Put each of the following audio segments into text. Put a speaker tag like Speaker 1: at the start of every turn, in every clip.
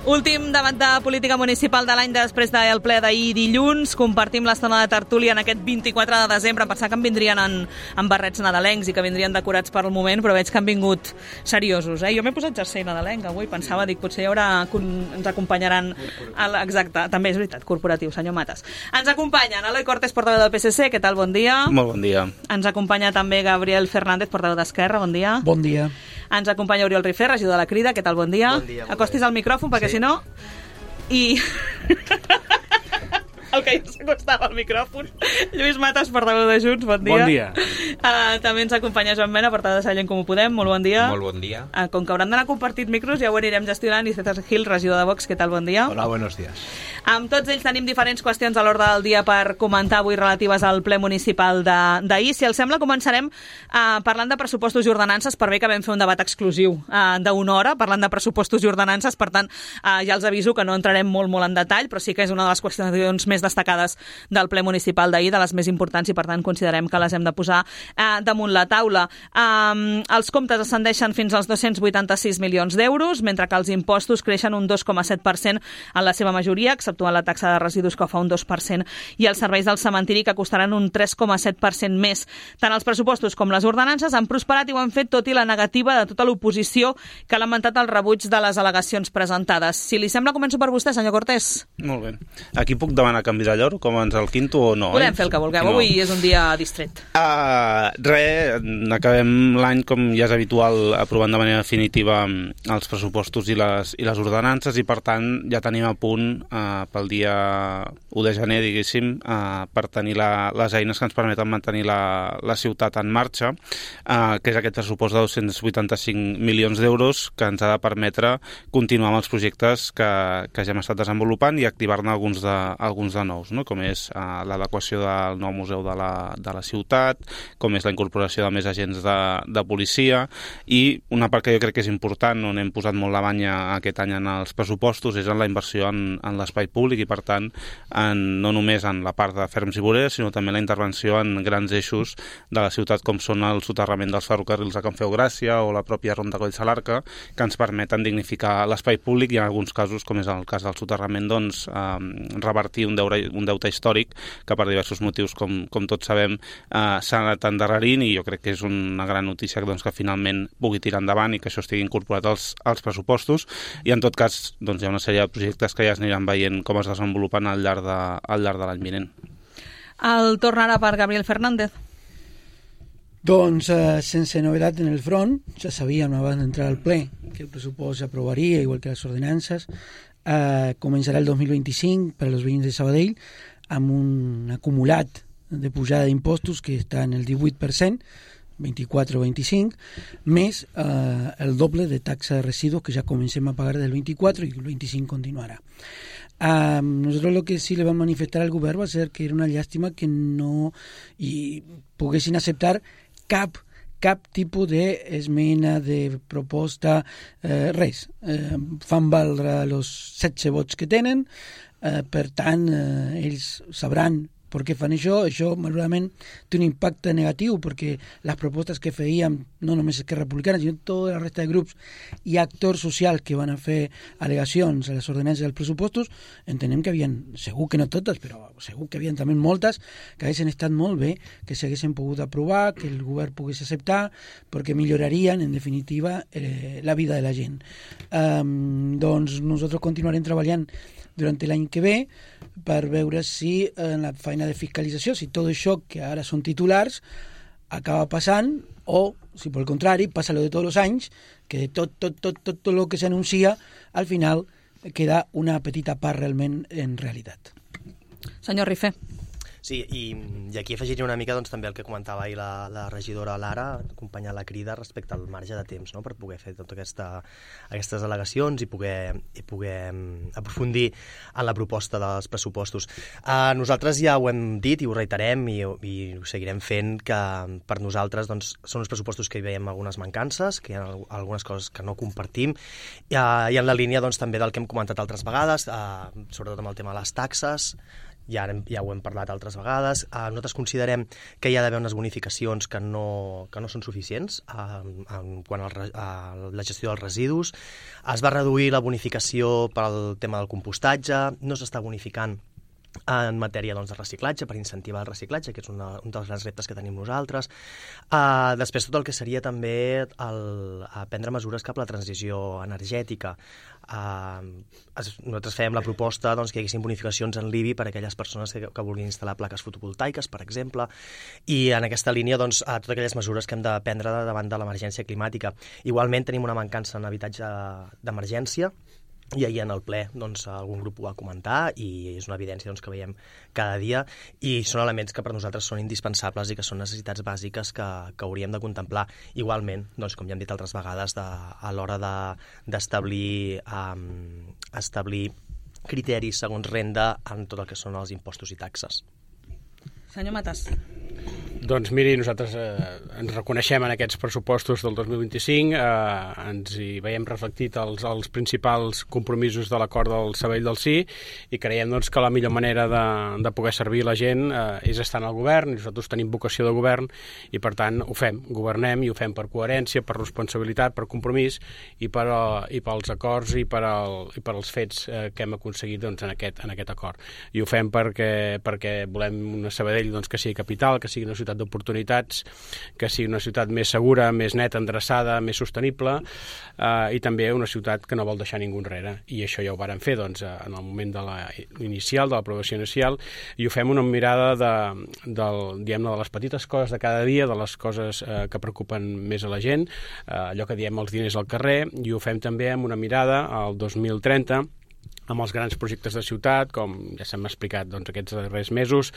Speaker 1: Últim debat de política municipal de l'any després del ple d'ahir dilluns. Compartim l'estona de tertúlia en aquest 24 de desembre. Pensava que en vindrien en barrets nadalencs i que vindrien decorats per al moment, però veig que han vingut seriosos. Jo m'he posat jersei nadalenc avui, pensava, potser ens acompanyaran... Exacte, també és veritat, corporatiu, senyor Matas. Ens acompanyen Eloi Cortés, portaveu del PSC, què tal, bon dia?
Speaker 2: Molt bon dia.
Speaker 1: Ens acompanya també Gabriel Fernández, portaveu d'Esquerra, bon dia.
Speaker 3: Bon dia.
Speaker 1: Ens acompanya Oriol Rifé, regidor de la Crida, què tal, bon dia?
Speaker 4: Bon dia.
Speaker 1: Acostis al micròfon, perquè si no... I... el que ja s'acostava al micròfon. Lluís Matas, portaveu de Junts, bon dia.
Speaker 2: Bon dia.
Speaker 1: També ens acompanya Joan Mena, portaveu de Sallent Comú Podem, molt bon dia.
Speaker 4: Molt bon dia.
Speaker 1: Com que hauran d'anar compartit micros, ja ho anirem gestionant. I César Gil, regidor de Vox, què tal, bon dia.
Speaker 5: Hola, buenos días.
Speaker 1: Amb tots ells tenim diferents qüestions a l'ordre del dia per comentar avui relatives al ple municipal d'ahir. Si els sembla, començarem parlant de pressupostos i ordenances, per bé que vam fer un debat exclusiu d'una hora, parlant de pressupostos i ordenances, per tant, ja els aviso que no entrarem molt en detall, però sí que és una de les qüestions més destacades del ple municipal d'ahir, de les més importants, i per tant considerem que les hem de posar damunt la taula. Els comptes ascendeixen fins als 286 milions d'euros, mentre que els impostos creixen un 2,7% en la seva majoria, exceptuant la taxa de residus, que fa un 2%, i els serveis del cementiri, que costaran un 3,7% més. Tant els pressupostos com les ordenances han prosperat i ho han fet tot i la negativa de tota l'oposició, que ha lamentat el rebuig de les al·legacions presentades. Si li sembla, començo per vostè, senyor Cortés.
Speaker 2: Molt bé. Aquí puc demanar canvi de llor, com ens el quinto o no?
Speaker 1: Podem fer el que vulgueu, avui és un dia distret.
Speaker 2: Acabem l'any, com ja és habitual, aprovant de manera definitiva els pressupostos i les ordenances, i per tant ja tenim a punt pel dia 1 de gener, diguéssim, per tenir les eines que ens permeten mantenir la ciutat en marxa, que és aquest pressupost de 285 milions d'euros que ens ha de permetre continuar amb els projectes que ja hem estat desenvolupant i activar-ne alguns de nous, no? Com és l'adequació del nou museu de la ciutat, com és la incorporació de més agents de policia, i una part que jo crec que és important, on hem posat molt la banya aquest any en els pressupostos, és en la inversió en l'espai públic, i per tant no només en la part de ferms i voreres, sinó també la intervenció en grans eixos de la ciutat, com són el soterrament dels ferrocarrils a Can Feu Gràcia o la pròpia Ronda Collsalarca, que ens permeten dignificar l'espai públic i en alguns casos, com és el cas del soterrament, doncs revertir un deute històric que per diversos motius, com tots sabem, s'ha anat endarrerint, i jo crec que és una gran notícia que finalment pugui tirar endavant i que això estigui incorporat als pressupostos. I en tot cas hi ha una sèrie de projectes que ja es aniran veient com es desenvolupen al llarg de l'any vinent.
Speaker 1: El torn ara per Gabriel Fernández.
Speaker 3: Doncs, sense novedat en el front, ja sabíem abans d'entrar al ple que el pressupost s'aprovaria, igual que les ordenances. Començarà el 2025 per als veïns de Sabadell amb un acumulat de pujada d'impostos que està en el 18%, 24 o 25, més el doble de taxa de residus que ja comencem a pagar del 24 i el 25 continuarà. Nosotros lo que sí le vam manifestar al govern va ser que era una llàstima que no poguessin acceptar cap tipus d'esmena, de proposta, res. Fan valdre els 16 vots que tenen, per tant, ells sabran per què fan això. Això, malauradament, té un impacte negatiu, perquè les propostes que fèiem, no només Esquerra Republicana, sinó tota la resta de grups i actors socials que van a fer al·legacions a les ordenances dels pressupostos, entenem que havien, segur que no totes, però segur que havien també moltes, que haguessin estat molt bé, que s'haguessin pogut aprovar, que el govern pogués acceptar, perquè millorarien, en definitiva, la vida de la gent. Doncs nosaltres continuarem treballant durant l'any que ve per veure si en la feina de fiscalització, si tot això que ara són titulars acaba passant, o si pel contrari passa lo de tots els anys, que tot el que s'anuncia al final queda una petita part realment en realitat.
Speaker 1: Senyor Rifé.
Speaker 4: Sí, i aquí afegiré una mica també el que comentava ahir la regidora Lara, acompanyar la Crida respecte al marge de temps, no?, per poder fer totes aquestes al·legacions i poder aprofundir en la proposta dels pressupostos. Nosaltres ja ho hem dit i ho reiterem i ho seguirem fent, que per nosaltres són uns pressupostos que hi veiem algunes mancances, que hi ha algunes coses que no compartim, i en la línia també del que hem comentat altres vegades, sobretot amb el tema de les taxes. ja ho hem parlat altres vegades. Nosaltres considerem que hi ha d'haver unes bonificacions que no són suficients en quant a la gestió dels residus. Es va reduir la bonificació pel tema del compostatge, no s'està bonificant en matèria de reciclatge, per incentivar el reciclatge, que és un dels grans reptes que tenim nosaltres. Després tot el que seria també prendre mesures cap a la transició energètica. Nosaltres fèiem la proposta que hi haguessin bonificacions en l'IBI per a aquelles persones que vulguin instal·lar plaques fotovoltaiques, per exemple, i en aquesta línia totes aquelles mesures que hem de prendre davant de l'emergència climàtica. Igualment tenim una mancança en habitatge d'emergència, i ahir en el ple algun grup ho va comentar i és una evidència que veiem cada dia i són elements que per nosaltres són indispensables i que són necessitats bàsiques que hauríem de contemplar. Igualment, com ja hem dit altres vegades, a l'hora d'establir criteris segons renda en tot el que són els impostos i taxes.
Speaker 1: Senyor Matas.
Speaker 5: Doncs miri, nosaltres ens reconeixem en aquests pressupostos del 2025, ens hi veiem reflectit els principals compromisos de l'acord del Sabadell del Sí i creiem que la millor manera de poder servir la gent és estar en el govern, nosaltres tenim vocació de govern i per tant ho fem, governem i ho fem per coherència, per responsabilitat, per compromís i pels acords i per als fets que hem aconseguit en aquest acord. I ho fem perquè volem una Sabadell que sigui capital, que sigui una ciutat d'oportunitats, que sigui una ciutat més segura, més neta, endreçada, més sostenible i també una ciutat que no vol deixar ningú enrere. I això ja ho vàrem fer en el moment de l'aprovació inicial, i ho fem una mirada de les petites coses de cada dia, de les coses que preocupen més a la gent, allò que diem els diners al carrer, i ho fem també amb una mirada al 2030, amb els grans projectes de ciutat, com ja s'hem explicat aquests darrers mesos,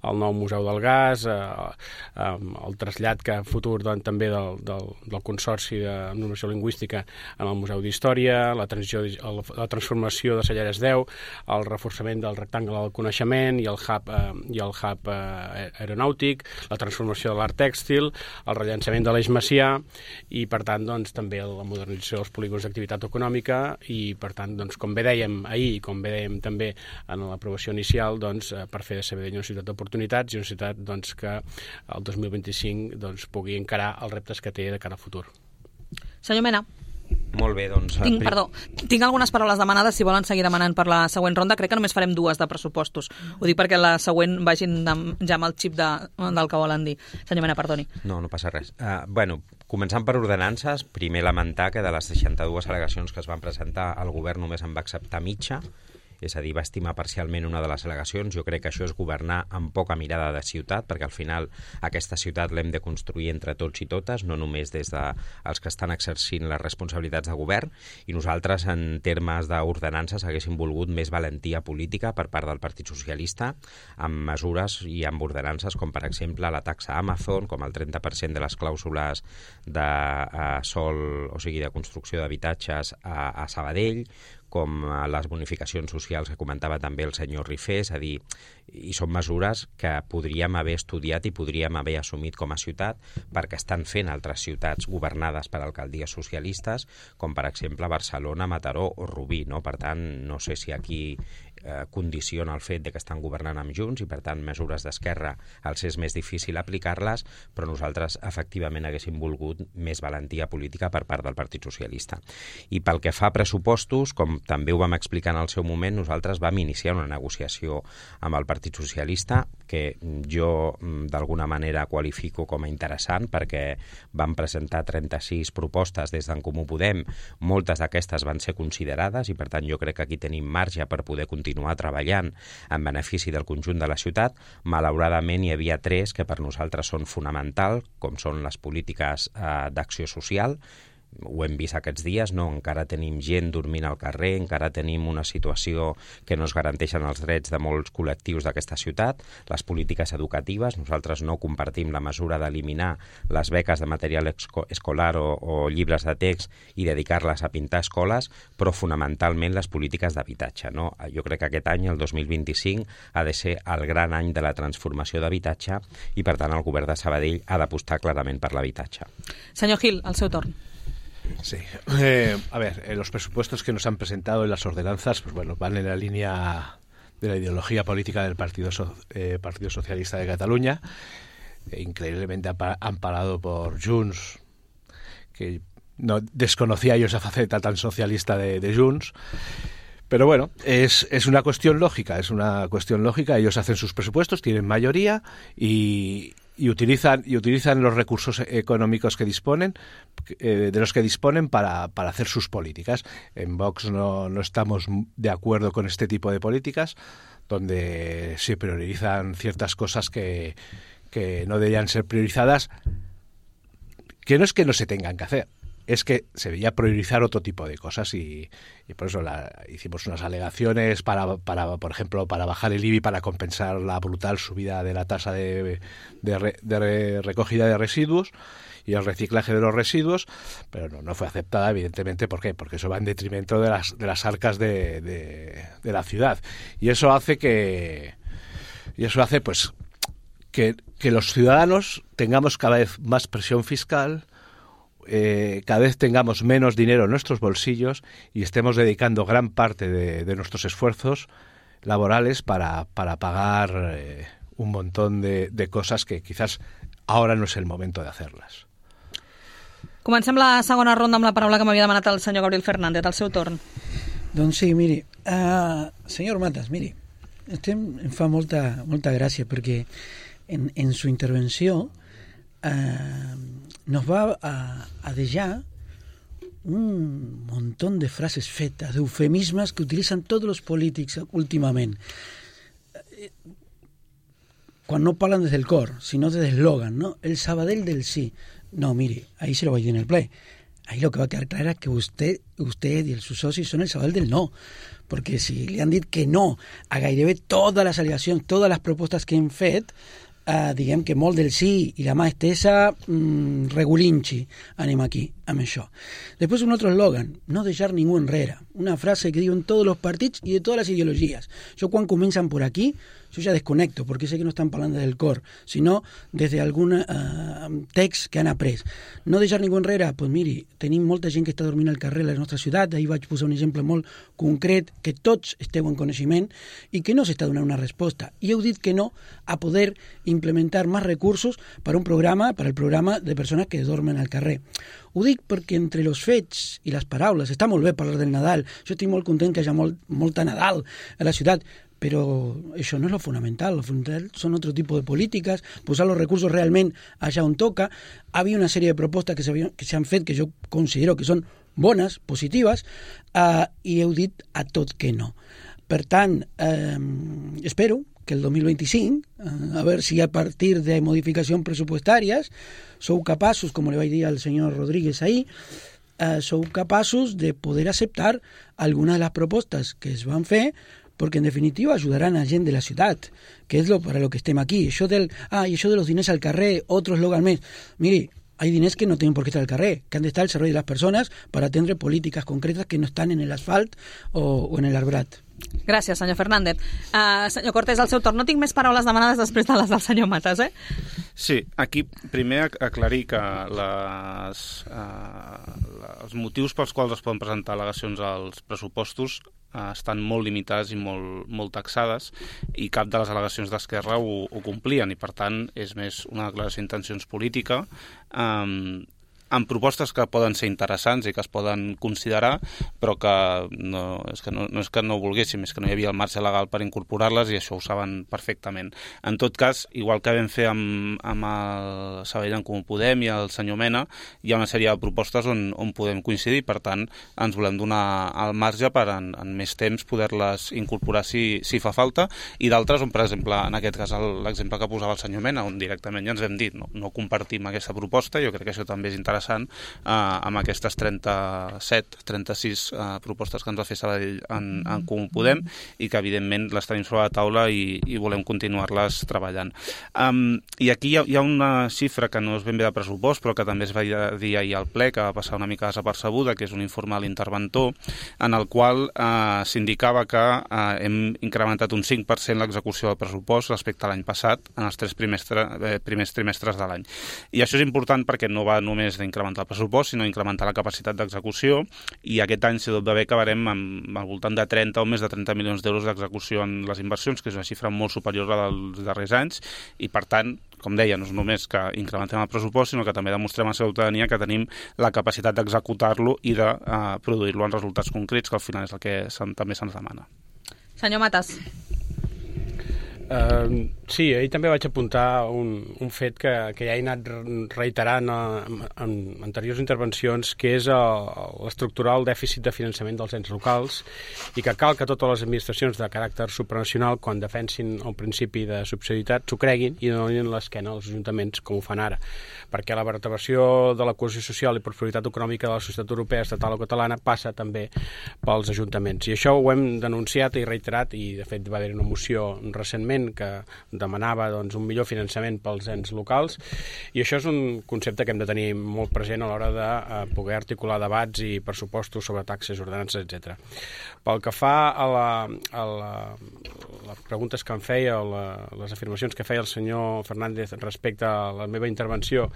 Speaker 5: el nou Museu del Gas, el trasllat futur també del Consorci de Normació Lingüística en el Museu d'Història, la transformació de Celleres 10, el reforçament del rectangle del coneixement i el hub aeronàutic, la transformació de l'art tèxtil, el rellançament de l'Eix Macià i, per tant, també la modernització dels polígons d'activitat econòmica i, per tant, com bé dèiem ahir i com bé dèiem també en l'aprovació inicial, per fer de Sabadell una ciutat d'oportunitats i una ciutat que el 2025 pugui encarar els reptes que té de cara al futur.
Speaker 1: Senyor Mena.
Speaker 6: Molt bé,
Speaker 1: Tinc algunes paraules demanades, si volen seguir demanant per la següent ronda. Crec que només farem 2 de pressupostos. Ho dic perquè la següent vagin ja amb el xip del que volen dir. Senyor Mena, perdoni.
Speaker 6: No passa res. Començant per ordenances, primer lamentar que de les 62 al·legacions que es van presentar, el govern només en va acceptar mitja, és a dir, va estimar parcialment una de les al·legacions. Jo crec que això és governar amb poca mirada de ciutat, perquè al final aquesta ciutat l'hem de construir entre tots i totes, no només des dels que estan exercint les responsabilitats de govern, i nosaltres, en termes d'ordenances, haguéssim volgut més valentia política per part del Partit Socialista, amb mesures i amb ordenances com, per exemple, la taxa Amazon, com el 30% de les clàusules de sòl, o sigui, de construcció d'habitatges a Sabadell, com les bonificacions socials que comentava també el senyor Rifé, és a dir, i són mesures que podríem haver estudiat i podríem haver assumit com a ciutat perquè estan fent altres ciutats governades per alcaldies socialistes, com per exemple Barcelona, Mataró o Rubí, no? Per tant, no sé si aquí condiciona el fet de que estan governant amb Junts i per tant mesures d'esquerra els és més difícil aplicar-les, però nosaltres efectivament haguéssim volgut més valentia política per part del Partit Socialista. I pel que fa a pressupostos, com també ho vam explicar en el seu moment, nosaltres vam iniciar una negociació amb el Partit Socialista que jo d'alguna manera qualifico com a interessant perquè vam presentar 36 propostes des d'en Comú Podem, moltes d'aquestes van ser considerades i per tant jo crec que aquí tenim marge per poder continuar treballant en benefici del conjunt de la ciutat. Malauradament hi havia 3 que per nosaltres són fonamentals, com són les polítiques d'acció social. Ho hem vist aquests dies, no? Encara tenim gent dormint al carrer, encara tenim una situació que no es garanteixen els drets de molts col·lectius d'aquesta ciutat. Les polítiques educatives, nosaltres no compartim la mesura d'eliminar les beques de material escolar o llibres de text i dedicar-les a pintar escoles, però fonamentalment les polítiques d'habitatge, no? Jo crec que aquest any, el 2025, ha de ser el gran any de la transformació d'habitatge i, per tant, el govern de Sabadell ha d'apostar clarament per l'habitatge.
Speaker 1: Senyor Gil, el seu torn.
Speaker 7: Sí. A ver, los presupuestos que nos han presentado y las ordenanzas, pues bueno, van en la línea la ideología política del Partido Socialista de Cataluña, increíblemente amparado por Junts, que no desconocía yo esa faceta tan socialista de Junts. Pero bueno, es una cuestión lógica, ellos hacen sus presupuestos, tienen mayoría y utilizan los recursos económicos que disponen, de los que disponen para hacer sus políticas. En Vox no estamos de acuerdo con este tipo de políticas, donde se priorizan ciertas cosas que no deberían ser priorizadas, que no es que no se tengan que hacer, es que se debería priorizar otro tipo de cosas y por eso hicimos unas alegaciones para, por ejemplo, para bajar el IBI para compensar la brutal subida de la tasa de recogida de residuos y el reciclaje de los residuos, pero no fue aceptada, evidentemente. ¿Por qué? Porque eso va en detrimento de las arcas de la ciudad, y eso hace pues que los ciudadanos tengamos cada vez más presión fiscal, cada vez tengamos menos dinero en nuestros bolsillos y estemos dedicando gran parte de nuestros esfuerzos laborales para pagar un montón de cosas que quizás ahora no es el momento de hacerlas.
Speaker 1: Comencem la segona ronda amb la paraula que m'havia demanat el senyor Gabriel Fernández, al seu torn.
Speaker 3: Doncs sí, miri, senyor Matas, miri, em fa molta gràcia perquè en su intervenció nos va a dejar un montón de frases fetas, de eufemismes que utilizan todos los polítics últimament. Quan no parlen des del cor, sinó des del eslogan, ¿no? El Sabadell del sí. No, mire, ahí se lo va a ir en el play. Ahí lo que va a quedar claro es que usted y sus socios son el Sabadell del no. Perquè si li han dit que no a gairebé totes les al·legacions, totes les propostes que hem fet, diguem que molt del sí i la mà estesa, regulinchi, anem aquí, amb això. Després un altre eslogan, no deixar ningú enrere, una frase que diuen tots els partits i de totes les ideologies. Jo quan comencen por aquí, yo ya desconecto, porque sé que no están hablando del cor, sino desde algun text que han après. No deixar ningú enrere, doncs miri, tenim molta gent que està dormint al carrer a la nostra ciutat, ahir vaig posar un exemple molt concret, que tots esteu en coneixement i que no s'està donant una resposta. I heu dit que no a poder implementar més recursos per el programa de persones que dormen al carrer. Ho dic perquè entre els fets i les paraules, està molt bé parlar del Nadal, jo estic molt content que hi ha molta Nadal a la ciutat, pero eso no es lo fundamental son otro tipo de políticas, posar los recursos realmente allá on toca. Había una serie de propuestas que se han fet que jo considero que són bones, positives, i heu dit a tot que no. Per tant, espero que el 2025, a ver si a partir de modificacions pressupostàries sou capaços, com le vaig dir al senyor Rodríguez ahir, sou capaços de poder acceptar alguna de les propostes que es van fer, porque en definitiva ayudarán a gent de la ciudad, que es para lo que estem aquí. Això de los diners al carrer, otro eslogan més. Miri, hay diners que no tienen por qué estar al carrer, que han de estar al servei de las personas para atendre políticas concretas que no están en el asfalt o en el arbrat.
Speaker 1: Gràcies, senyor Fernández. Senyor Cortés, al seu torn. No tinc més paraules demanades després de les del senyor Matas, eh?
Speaker 2: Sí, aquí primer aclarir que els motius pels quals es poden presentar al·legacions als pressupostos estan molt limitades i molt taxades, i cap de les al·legacions d'Esquerra ho complien, i per tant és més una declaració d'intencions política amb propostes que poden ser interessants i que es poden considerar, però que no és que no ho volguéssim, és que no hi havia el marge legal per incorporar-les, i això ho saben perfectament. En tot cas, igual que vam fer amb el Sabadell en Comú Podem i el senyor Mena, hi ha una sèrie de propostes on podem coincidir, per tant ens volem donar el marge per en més temps poder-les incorporar si fa falta, i d'altres on, per exemple, en aquest cas l'exemple que posava el senyor Mena, on directament ja ens hem dit no compartim aquesta proposta. Jo crec que això també és interessant amb aquestes 36 propostes que ens va fer Sabadell en Comú Podem, i que evidentment les tenim sobre la taula i volem continuar-les treballant. I aquí hi ha una xifra que no és ben bé de pressupost, però que també es va dir ahir al ple, que va passar una mica desapercebuda, que és un informe de l'interventor, en el qual s'indicava que hem incrementat un 5% l'execució del pressupost respecte a l'any passat en els 3 primers trimestres de l'any. I això és important perquè no va només d'incrementar incrementar el pressupost, sinó incrementar la capacitat d'execució, i aquest any, si tot va bé, acabarem amb al voltant de 30 o més de 30 milions d'euros d'execució en les inversions, que és una xifra molt superior a dels darrers anys, i per tant, com deia, no és només que incrementem el pressupost, sinó que també demostrem a la ciutadania que tenim la capacitat d'executar-lo i de produir-lo en resultats concrets, que al final és el que també se'ns demana.
Speaker 1: Senyor Matas.
Speaker 5: Sí, ahir també vaig apuntar un fet que ja he anat reiterant en anteriors intervencions, que és l'estructurar el dèficit de finançament dels ens locals, i que cal que totes les administracions de caràcter supranacional, quan defensin el principi de subsidiarietat, s'ho creguin i donin l'esquena als ajuntaments, com ho fan ara, perquè la vertebració de la cohesió social i prosperitat econòmica de la societat europea, estatal o catalana, passa també pels ajuntaments. I això ho hem denunciat i reiterat, i de fet va haver una moció recentment que demanava un millor finançament pels ens locals, i això és un concepte que hem de tenir molt present a l'hora de poder articular debats i pressupostos sobre taxes, ordenances, etc. Pel que fa a les preguntes que em feia o les afirmacions que feia el senyor Fernández respecte a la meva intervenció,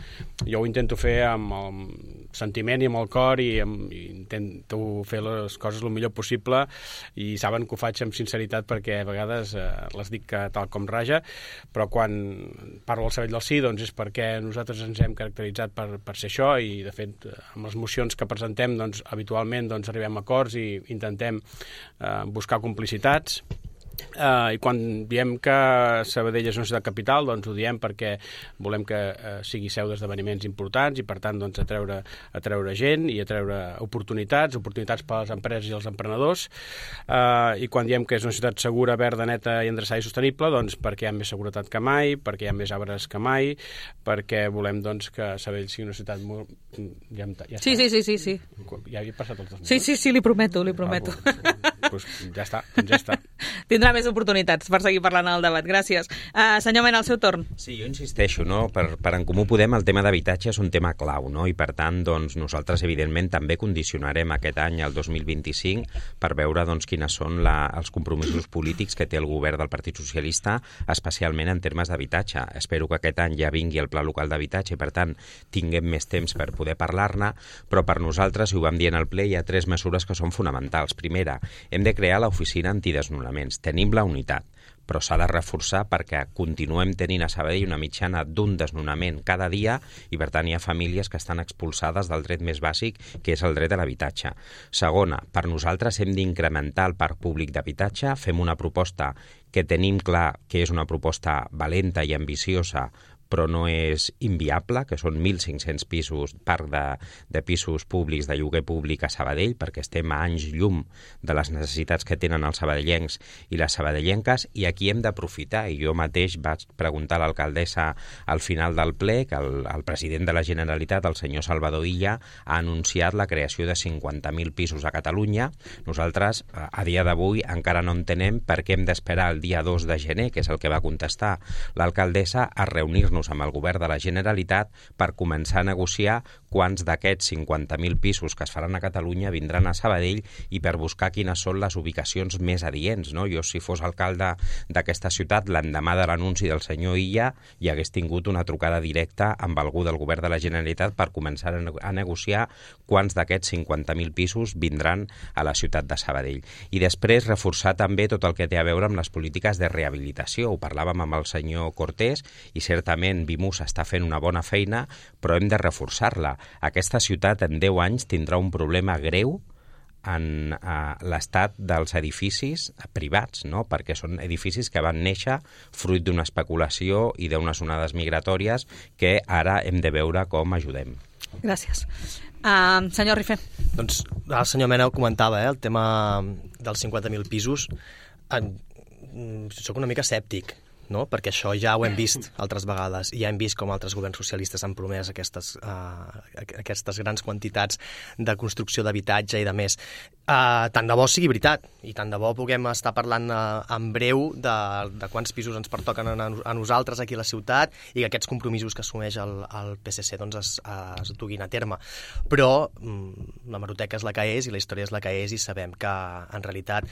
Speaker 5: jo ho intento fer amb el sentiment i amb el cor, i intento fer les coses el millor possible, i saben que ho faig amb sinceritat perquè a vegades les dic tal com raja, però quan parlo al Sabell del Sí és perquè nosaltres ens hem caracteritzat per ser això, i de fet amb les mocions que presentem habitualment arribem a acords i intentem buscar complicitats. I quan diem que Sabadell és una ciutat capital, ho diem perquè volem que sigui seu d'esdeveniments importants i per tant atreure gent i atreure oportunitats per a les empreses i els emprenedors, i quan diem que és una ciutat segura, verda, neta i endreçada i sostenible, perquè hi ha més seguretat que mai, perquè hi ha més arbres que mai, perquè volem que Sabadell sigui una ciutat molt...
Speaker 1: Sí.
Speaker 5: Ja havia passat els 2
Speaker 1: minuts? Sí, li prometo.
Speaker 5: Ja està.
Speaker 1: Tindrà més oportunitats per seguir parlant al debat. Gràcies. Senyor Mena, al seu torn.
Speaker 6: Sí, jo insisteixo, per En Comú Podem el tema d'habitatge és un tema clau, i per tant nosaltres evidentment també condicionarem aquest any, el 2025, per veure quines són els compromisos polítics que té el govern del Partit Socialista, especialment en termes d'habitatge. Espero que aquest any ja vingui el Pla Local d'Habitatge i per tant tinguem més temps per poder parlar-ne, però per nosaltres, i ho vam dir en el ple, hi ha 3 mesures que són fonamentals. Primera, hem de crear l'oficina antidesnonaments. Tenim la unitat, però s'ha de reforçar perquè continuem tenint a Sabadell una mitjana d'un desnonament cada dia i per tant hi ha famílies que estan expulsades del dret més bàsic, que és el dret a l'habitatge. Segona, per nosaltres hem d'incrementar el parc públic d'habitatge, fem una proposta que tenim clar que és una proposta valenta i ambiciosa, però no és inviable, que són 1.500 pisos, parc de pisos públics de lloguer públic a Sabadell, perquè estem a anys llum de les necessitats que tenen els sabadellencs i les sabadellenques, i aquí hem d'aprofitar, i jo mateix vaig preguntar a l'alcaldessa al final del ple que el president de la Generalitat, el senyor Salvador Illa, ha anunciat la creació de 50.000 pisos a Catalunya. Nosaltres, a dia d'avui, encara no entenem per què hem d'esperar el dia 2 de gener, que és el que va contestar l'alcaldessa, a reunir-nos amb el govern de la Generalitat per començar a negociar quants d'aquests 50.000 pisos que es faran a Catalunya vindran a Sabadell i per buscar quines són les ubicacions més adients. Jo, si fos alcalde d'aquesta ciutat, l'endemà de l'anunci del senyor Illa, hi hagués tingut una trucada directa amb algú del govern de la Generalitat per començar a negociar quants d'aquests 50.000 pisos vindran a la ciutat de Sabadell. I després reforçar també tot el que té a veure amb les polítiques de rehabilitació. Ho parlàvem amb el senyor Cortés i certament Vimus està fent una bona feina, però hem de reforçar-la. Aquesta ciutat en 10 anys tindrà un problema greu en l'estat dels edificis privats, perquè són edificis que van néixer fruit d'una especulació i d'unes onades migratòries que ara hem de veure com ajudem.
Speaker 1: Gràcies. Senyor Rifé.
Speaker 4: Doncs el senyor Mena ho comentava, el tema dels 50.000 pisos. Soc una mica escèptic, perquè això ja ho hem vist altres vegades i ja hem vist com altres governs socialistes han promès aquestes grans quantitats de construcció d'habitatge i de més. Tant de bo sigui veritat, i tant de bo puguem estar parlant en breu de quants pisos ens pertoquen a nosaltres aquí a la ciutat i que aquests compromisos que assumeix el PSC doncs es duguin a terme. Però la hemeroteca és la que és i la història és la que és, i sabem que en realitat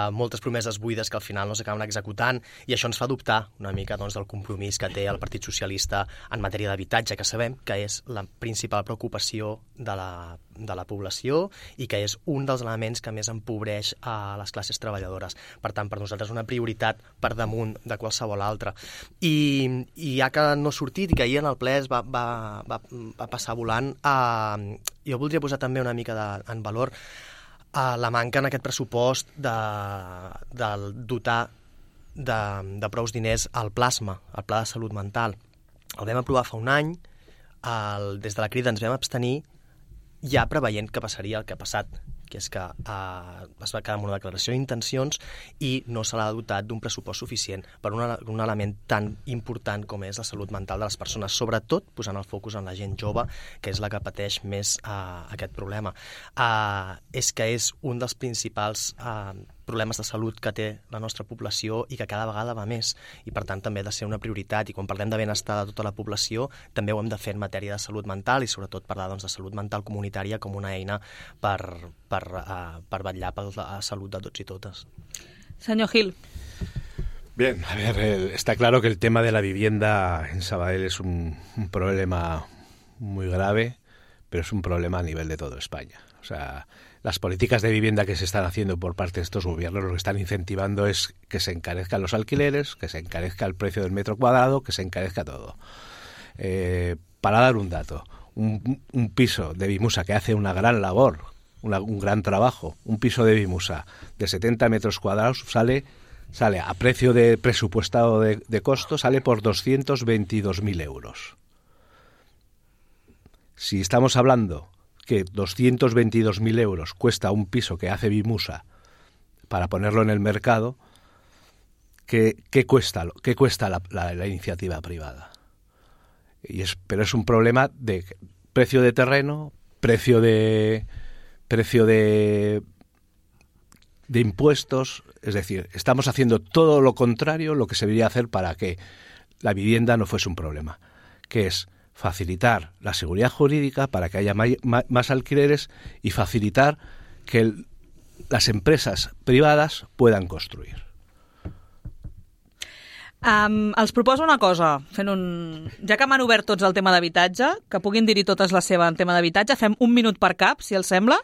Speaker 4: moltes promeses buides que al final no s'acaben executant, i això ens fa dubtar una mica doncs, del compromís que té el Partit Socialista en matèria d'habitatge, que sabem que és la principal preocupació de la població i que és un dels elements que més empobreix a les classes treballadores. Per tant, per nosaltres una prioritat per damunt de qualsevol altra. I ja que no ha sortit i que ahir en el ple es va passar volant, jo voldria posar també una mica en valor la manca en aquest pressupost de dotar de prous diners al plasma, al Pla de Salut Mental. El vam aprovar fa un any, des de la Crida ens vam abstenir, ja preveient que passaria el que ha passat, que és que es va quedar amb una declaració d'intencions i no se l'ha dotat d'un pressupost suficient per un element tan important com és la salut mental de les persones, sobretot posant el focus en la gent jove, que és la que pateix més aquest problema. És que és un dels principals problemes de salut que té la nostra població i que cada vegada va més, i per tant també ha de ser una prioritat, i quan parlem de benestar de tota la població també ho hem de fer en matèria de salut mental, i sobretot parlar de salut mental comunitària com una eina per vetllar per la salut de tots i totes.
Speaker 1: Senyor Gil.
Speaker 7: Bien, a ver, está claro que el tema de la vivienda en Sabadell es un problema muy grave, pero es un problema a nivel de toda España. O sea, las políticas de vivienda que se están haciendo por parte de estos gobiernos lo que están incentivando es que se encarezcan los alquileres, que se encarezca el precio del metro cuadrado, que se encarezca todo. Para dar un dato, un piso de Vimusa que hace una gran labor, un gran trabajo, un piso de Vimusa de 70 metros cuadrados sale a precio de presupuestado de costo, sale por 222.000 euros. Si estamos hablando que 222.000 euros cuesta un piso que hace Vimusa para ponerlo en el mercado, ¿qué cuesta la iniciativa privada? Pero es un problema de precio de terreno, precio de impuestos, es decir, estamos haciendo todo lo contrario lo que se debería hacer para que la vivienda no fuese un problema, que es facilitar la seguridad jurídica para que haya más alquileres y facilitar que las empresas privadas puedan construir.
Speaker 1: Els proposo una cosa, ja que m'han obert tots el tema d'habitatge, que puguin dir-hi totes la seva en tema d'habitatge, fem un minut per cap, si els sembla,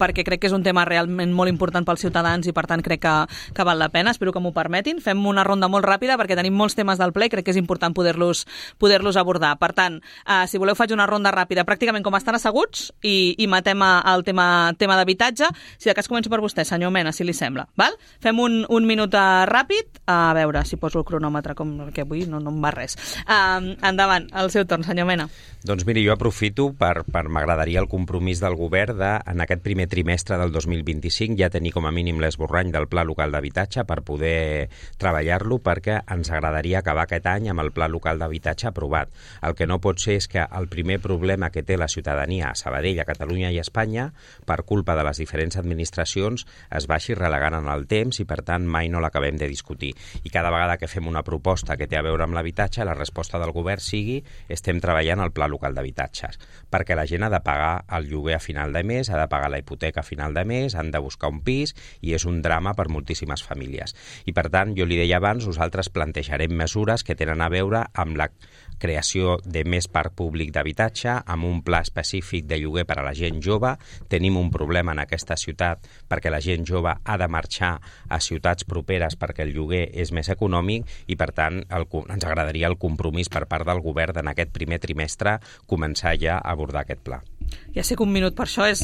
Speaker 1: perquè crec que és un tema realment molt important pels ciutadans i per tant crec que val la pena, espero que m'ho permetin. Fem una ronda molt ràpida perquè tenim molts temes del ple i crec que és important poder-los abordar. Per tant, si voleu faig una ronda ràpida, pràcticament com estan asseguts, i matem el tema d'habitatge. Si de cas començo per vostè, senyor Mena, si li sembla. Val? Fem un minut ràpid, a veure si poso el cronòmetre, que avui no em va res. Endavant, el seu torn, senyor Mena.
Speaker 6: Doncs miri, jo aprofito m'agradaria el compromís del govern en aquest primer trimestre del 2025 ja tenir com a mínim l'esborrany del Pla Local d'Habitatge per poder treballar-lo, perquè ens agradaria acabar aquest any amb el Pla Local d'Habitatge aprovat. El que no pot ser és que el primer problema que té la ciutadania a Sabadell, a Catalunya i a Espanya, per culpa de les diferents administracions, es vagi relegant en el temps i, per tant, mai no l'acabem de discutir. I cada vegada que fem una proposta que té a veure amb l'habitatge, la resposta del govern sigui estem treballant al Pla Local d'Habitatges, perquè la gent ha de pagar el lloguer a final de mes, ha de pagar la hipoteca a final de mes, han de buscar un pis i és un drama per moltíssimes famílies. I per tant, jo li deia abans, nosaltres plantejarem mesures que tenen a veure amb la creació de més parc públic d'habitatge, amb un pla específic de lloguer per a la gent jove. Tenim un problema en aquesta ciutat perquè la gent jove ha de marxar a ciutats properes perquè el lloguer és més econòmic i, per tant, ens agradaria el compromís per part del govern en aquest primer trimestre començar ja a abordar aquest pla.
Speaker 1: Ja sé que un minut per això és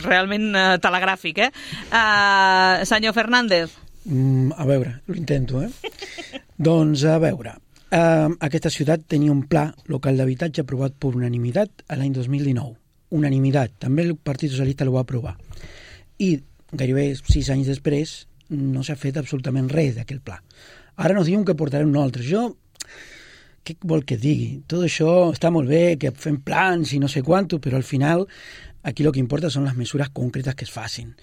Speaker 1: realment telegràfic, Senyor Fernández.
Speaker 3: A veure, ho intento, Doncs, a veure, aquesta ciutat tenia un pla local d'habitatge aprovat per unanimitat l'any 2019. Unanimitat. També el Partit Socialista el va aprovar. I gairebé 6 anys després no s'ha fet absolutament res d'aquell pla. Ara nos diuen que portarem un altre. Què vol que digui? Tot això està molt bé, que fem plans i no sé quanto, però al final Aquí el que importa són les mesures concretes que es facin.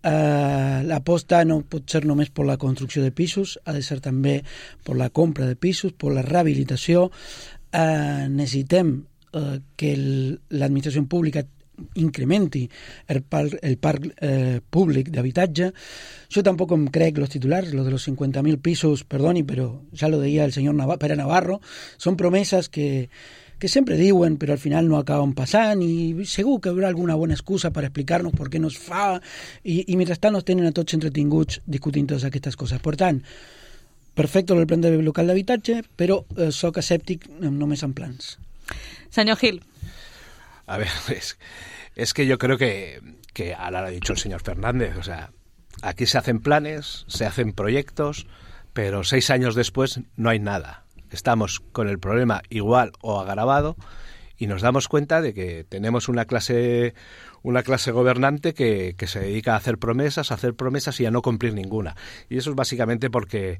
Speaker 3: L'aposta no pot ser només per la construcció de pisos, ha de ser també per la compra de pisos, per la rehabilitació. Necessitem que l'administració pública incrementi el parc públic d'habitatge. Yo tampoco crec los titulares, lo de los 50.000 pisos, perdoni, pero ya lo decía el señor Pere Navarro, son promesas que sempre diuen, però al final no acaben passant, i segur que hi haurà alguna bona excusa per explicar-nos per què no es fa, i mentrestant nos tenen a tots entretinguts discutint totes aquestes coses. Per tant, perfecte el plan de local d'habitatge, però soc escèptic només en plans.
Speaker 1: Senyor Gil.
Speaker 7: A ver, es que yo creo que ahora lo ha dicho el señor Fernández, o sea, aquí se hacen planes, se hacen proyectos, pero 6 años después no hay nada. Estamos con el problema igual o agravado y nos damos cuenta de que tenemos una clase gobernante que se dedica a hacer promesas y a no cumplir ninguna. Y eso es básicamente porque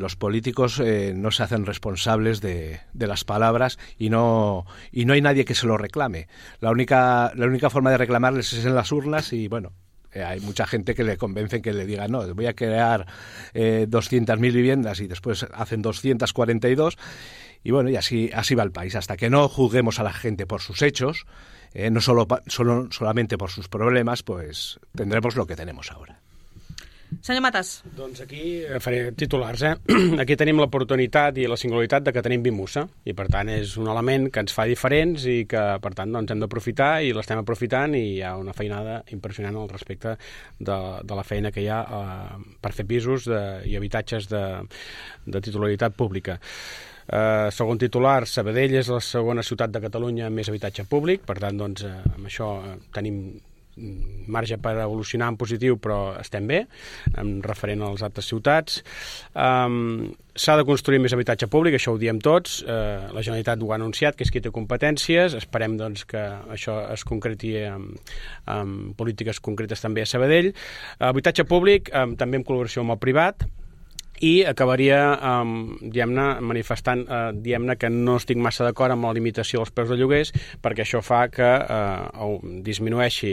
Speaker 7: los políticos no se hacen responsables de las palabras y no hay nadie que se lo reclame. La única forma de reclamarles es en las urnas y bueno, hay mucha gente que le convencen que le digan no, voy a crear 200.000 viviendas y después hacen 242 y bueno, y así va el país. Hasta que no juzguemos a la gente por sus hechos, no solamente por sus problemas, pues tendremos lo que tenemos ahora.
Speaker 1: Senyor Matas.
Speaker 5: Doncs aquí faré titulars, Aquí tenim l'oportunitat i la singularitat de que tenim Vimusa, i per tant és un element que ens fa diferents i que per tant doncs, hem d'aprofitar i l'estem aprofitant, i hi ha una feinada impressionant al respecte de la feina que hi ha per fer pisos i habitatges de titularitat pública. Segon titular, Sabadell és la segona ciutat de Catalunya amb més habitatge públic, per tant doncs, amb això tenim marge per evolucionar en positiu, però estem bé, en referent a les altres ciutats. S'ha de construir més habitatge públic, això ho diem tots, la Generalitat ho ha anunciat, que és qui té competències, esperem doncs, que això es concreti amb polítiques concretes també a Sabadell. Habitatge públic també en col·laboració amb el privat, i acabaria manifestant que no estic massa d'acord amb la limitació dels preus de lloguers, perquè això fa que disminueixi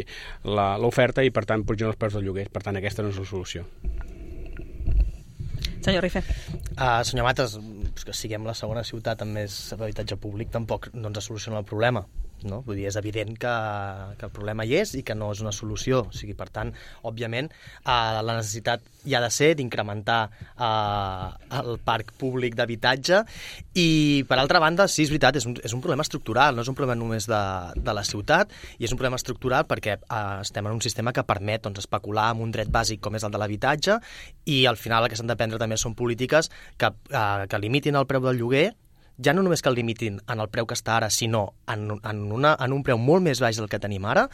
Speaker 5: l'oferta i per tant pugin els preus de lloguers. Per tant, aquesta no és la solució.
Speaker 1: Senyor Rifé.
Speaker 4: Senyor Matas, que siguem la segona ciutat amb més habitatge públic tampoc no ens soluciona el problema. No? Vull dir, és evident que el problema hi és i que no és una solució. O sigui, per tant, òbviament, la necessitat hi ha de ser d'incrementar el parc públic d'habitatge i, per altra banda, sí, és veritat, és un problema estructural, no és un problema només de la ciutat, i és un problema estructural perquè estem en un sistema que permet especular amb un dret bàsic com és el de l'habitatge, i al final el que s'han de prendre també són polítiques que limitin el preu del lloguer, ja no només que el limitin en el preu que està ara, sinó en un preu molt més baix del que tenim ara,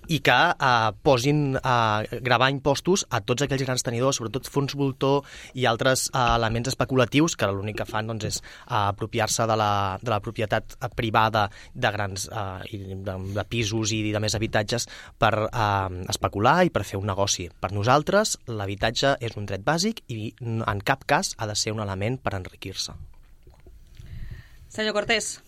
Speaker 4: i que posin gravar impostos a tots aquells grans tenidors, sobretot fons voltor i altres elements especulatius que l'únic que fan doncs, és apropiar-se de la propietat privada de grans de pisos i de més habitatges per especular i per fer un negoci. Per nosaltres, l'habitatge és un dret bàsic i en cap cas ha de ser un element per enriquir-se.
Speaker 1: Senyor Cortés.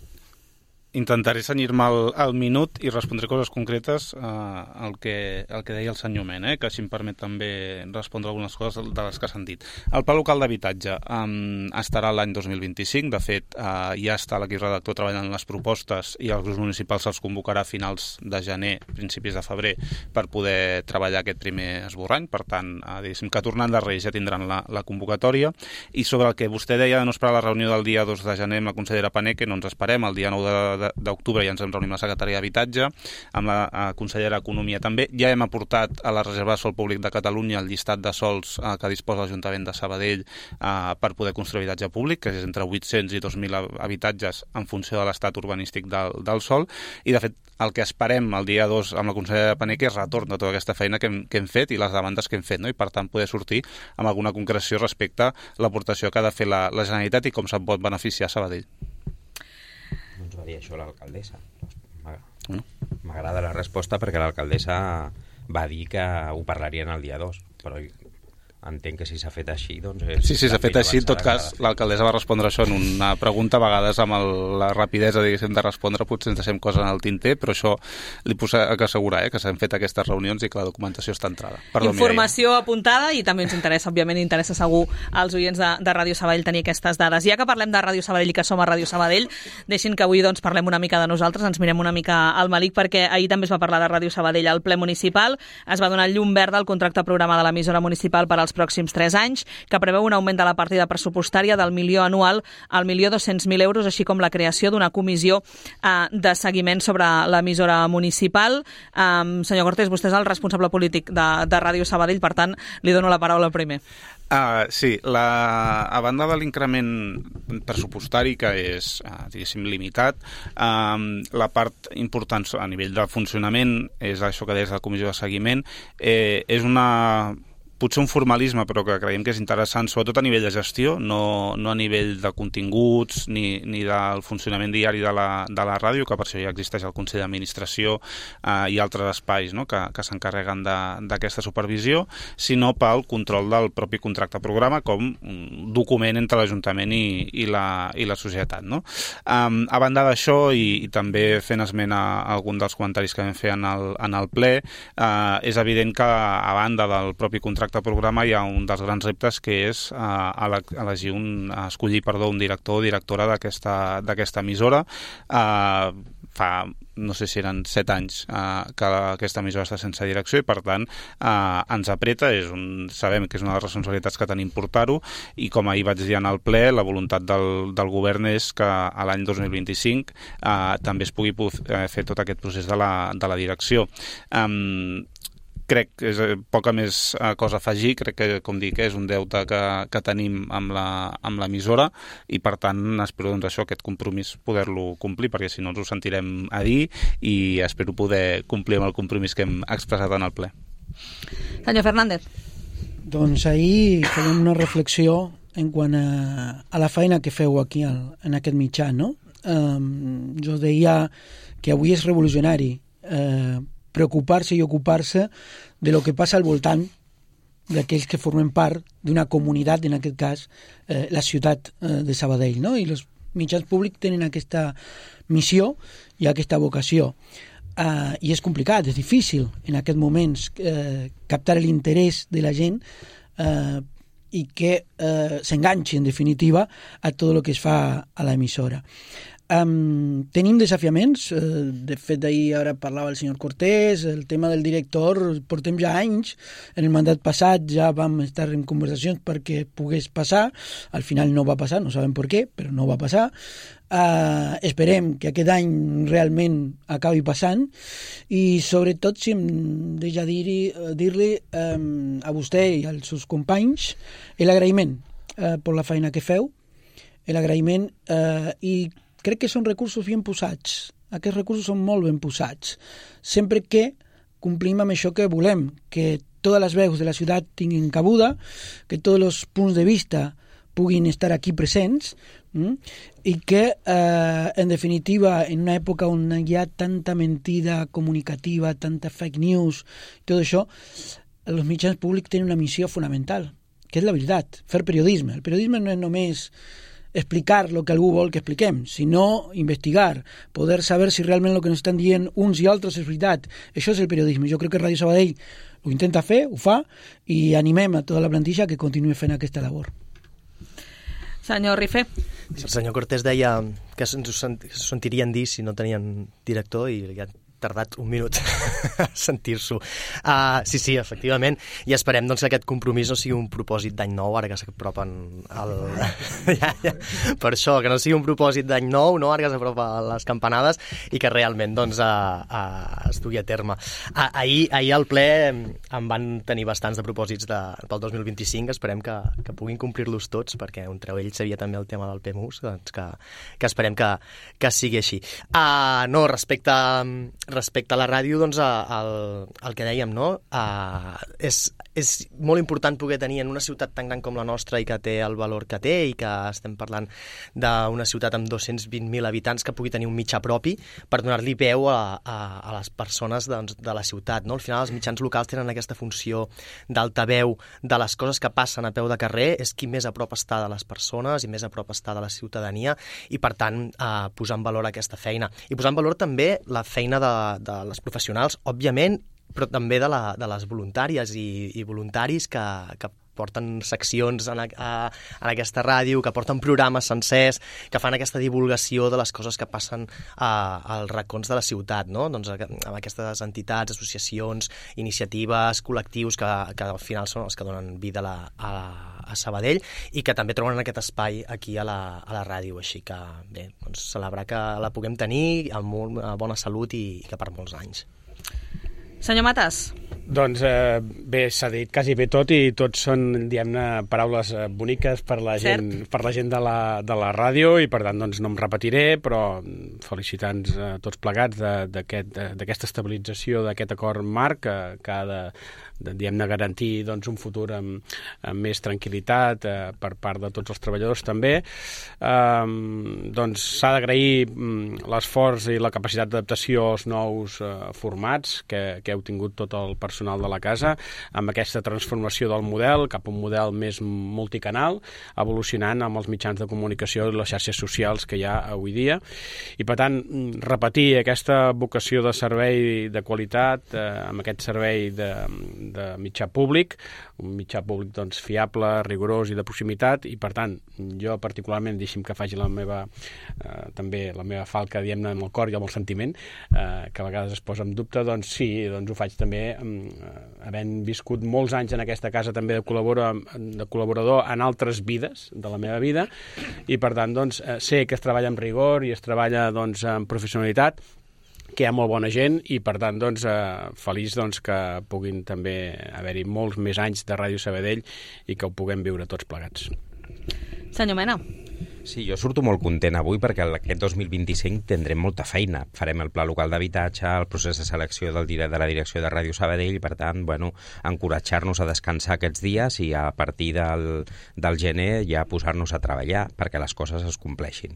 Speaker 2: Intentaré cenyir-me al minut i respondré coses concretes al que deia el senyor Mena, que si em permet també respondre algunes coses de les que s'han dit. El pla local d'habitatge estarà l'any 2025, de fet ja està l'equip redactor treballant en les propostes i els grups municipals els convocarà a finals de gener, principis de febrer, per poder treballar aquest primer esborrany, per tant, diguéssim que tornant de Reis ja tindran la convocatòria. I sobre el que vostè deia de no esperar la reunió del dia 2 de gener amb la consellera Paneque, no ens esperem, el dia 9 d'octubre ja ens hem reunit amb la secretària d'Habitatge, amb la consellera d'Economia també. Ja hem aportat a la Reserva de Sòl Públic de Catalunya el llistat de sòls que disposa l'Ajuntament de Sabadell per poder construir habitatge públic, que és entre 800 i 2.000 habitatges en funció de l'estat urbanístic del sòl, i de fet el que esperem el dia 2 amb la consellera Paneque és retorn de tota aquesta feina que hem fet i les demandes que hem fet, no? I per tant poder sortir amb alguna concreció respecte a l'aportació que ha de fer la Generalitat i com se'n pot beneficiar Sabadell.
Speaker 6: Ens va dir això l'alcaldessa. M'agrada la resposta perquè l'alcaldessa va dir que ho parlarien el dia 2, però entenc que si s'ha fet així, doncs...
Speaker 2: Sí, s'ha fet així. En tot cas, l'alcaldessa va respondre això en una pregunta, a vegades amb la rapidesa, diguéssim, de respondre, potser ens deixem coses en el tinter, però això li puc assegurar, que s'han fet aquestes reunions i que la documentació està entrada. Perdó,
Speaker 1: informació apuntada, i també ens interessa, òbviament, interessa segur als oients de Ràdio Sabadell tenir aquestes dades. Ja que parlem de Ràdio Sabadell i que som a Ràdio Sabadell, deixin que avui doncs, parlem una mica de nosaltres, ens mirem una mica al malic, perquè ahir també es va parlar de Ràdio Sabadell al ple municipal, es va donar llum verda al contracte programa de l'emissora municipal per als pròxims 3 anys, que preveu un augment de la partida pressupostària del milió anual al 1.200.000 euros, així com la creació d'una comissió de seguiment sobre l'emissora municipal. Senyor Cortés, vostè és el responsable polític de Ràdio Sabadell, per tant, li dono la paraula primer.
Speaker 2: Sí, a banda de l'increment pressupostari, que és, diguéssim, limitat, la part important a nivell de funcionament és això que deies de la comissió de seguiment, és potser un formalisme, però que creiem que és interessant, sobretot a nivell de gestió, no a nivell de continguts ni del funcionament diari de la ràdio, que per això ja existeix el Consell d'Administració i altres espais, no?, que s'encarreguen d'aquesta supervisió, sinó pel control del propi contracte programa com un document entre l'Ajuntament i la societat, no? A banda d'això, i també fent esment a algun dels comentaris que vam fer en el ple, és evident que a banda del propi contracte programa hi ha un dels grans reptes, que és escollir un director o directora d'aquesta emissora. Fa, no sé si eren 7 anys que aquesta emissora està sense direcció, i per tant ens apreta, sabem que és una de les responsabilitats que tenim portar-ho, i com ahir vaig dir en el ple, la voluntat del govern és que a l'any 2025 també es pugui fer tot aquest procés de la direcció. Crec que és poca més cosa a afegir, crec que, com dic, és un deute que tenim amb l'emissora, i per tant espero aquest compromís poder-lo complir, perquè si no ens ho sentirem a dir, i espero poder complir amb el compromís que hem expressat en el ple.
Speaker 1: Senyor Fernández.
Speaker 3: Doncs ahir fèiem una reflexió en quant a la feina que feu aquí en aquest mitjà, no? Jo deia que avui és revolucionari preocupar-se i ocupar-se de lo que passa al voltant d'aquells que formen part d'una comunitat, en aquest cas la ciutat de Sabadell, no? I els mitjans públics tenen aquesta missió i aquesta vocació. I és complicat, és difícil en aquests moments captar l'interès de la gent i que s'enganxi, en definitiva, a tot el que es fa a l'emissora. Tenim desafiaments, de fet ahir ara parlava el senyor Cortés, el tema del director, portem ja anys, en el mandat passat ja vam estar en conversacions perquè pogués passar, al final no va passar, no sabem per què, però no va passar. Esperem que aquest any realment acabi passant, i sobretot, si em deixa dir-li a vostè i als seus companys l'agraïment per la feina que feu, l'agraïment, i crec que són recursos ben posats. Aquests recursos són molt ben posats. Sempre que complim amb això que volem, que totes les veus de la ciutat tinguin cabuda, que tots els punts de vista puguin estar aquí presents, i que, en definitiva, en una època on hi ha tanta mentida comunicativa, tanta fake news, tot això, els mitjans públics tenen una missió fonamental, que és la veritat, fer periodisme. El periodisme no és només explicar el que algú vol que expliquem, sinó investigar, poder saber si realment el que ens estan dient uns i altres és veritat. Això és el periodisme. Jo crec que Ràdio Sabadell ho intenta fer, ho fa, i animem a tota la plantilla que continuï fent aquesta labor.
Speaker 1: Senyor Rifé.
Speaker 4: El senyor Cortés deia que ens ho sentirien dir si no tenien director, i ja tardat un minut a sentir-s'ho. Sí, efectivament, i esperem doncs, que aquest compromís no sigui un propòsit d'any nou, ara que s'apropen per això, que no sigui un propòsit d'any nou, no? Ara que s'apropen les campanades, i que realment doncs, es dugui a terme. Ahir al ple em van tenir bastants de propòsits pel 2025, esperem que puguin complir-los tots, perquè entre ells sabia també el tema del PMUS, doncs que esperem que sigui així. No, respecte respecte a la ràdio, doncs, el que dèiem, no? És molt important poder tenir en una ciutat tan gran com la nostra i que té el valor que té, i que estem parlant d'una ciutat amb 220.000 habitants, que pugui tenir un mitjà propi per donar-li veu a les persones, doncs, de la ciutat, no? Al final els mitjans locals tenen aquesta funció d'altaveu de les coses que passen a peu de carrer, és qui més a prop està de les persones i més a prop està de la ciutadania, i per tant posar en valor aquesta feina. I posar en valor també la feina de les professionals, òbviament, però també de les voluntàries i voluntaris que porten seccions en aquesta ràdio, que porten programes sencers, que fan aquesta divulgació de les coses que passen als racons de la ciutat, no? Doncs amb aquestes entitats, associacions, iniciatives, col·lectius que al final són els que donen vida a Sabadell i que també troben aquest espai aquí a la ràdio. Així que, bé, doncs celebrar que la puguem tenir amb molt bona salut i que per molts anys.
Speaker 1: Senyor Matas.
Speaker 5: Doncs bé, s'ha dit quasi bé tot i tots són, diguem-ne, paraules boniques per la gent de la ràdio i per tant doncs no em repetiré, però felicitar-nos tots plegats d'aquesta estabilització d'aquest acord marc que ha de diguem-ne, garantir doncs, un futur amb més tranquil·litat per part de tots els treballadors també. Doncs s'ha d'agrair l'esforç i la capacitat d'adaptació als nous formats que heu tingut tot el personal de la casa, amb aquesta transformació del model cap a un model més multicanal, evolucionant amb els mitjans de comunicació i les xarxes socials que hi ha avui dia. I per tant, repetir aquesta vocació de servei de qualitat, amb aquest servei de mitjà públic, un mitjà públic doncs, fiable, rigorós i de proximitat, i per tant, jo particularment, deixi'm que faci també la meva falca, diguem-ne, amb el cor i amb el sentiment, que a vegades es posa en dubte, doncs sí, doncs ho faig també havent viscut molts anys en aquesta casa també de col·laborador en altres vides de la meva vida, i per tant doncs, sé que es treballa amb rigor i es treballa doncs, amb professionalitat, que hi ha molt bona gent i per tant doncs, feliç doncs, que puguin també haver-hi molts més anys de Ràdio Sabadell i que ho puguem viure tots plegats.
Speaker 1: Senyor Mena.
Speaker 6: Sí, jo surto molt content avui perquè aquest 2025 tindrem molta feina. Farem el pla local d'habitatge, el procés de selecció de la direcció de Ràdio Sabadell, per tant, bueno, encoratjar-nos a descansar aquests dies i a partir del gener ja posar-nos a treballar perquè les coses es compleixin.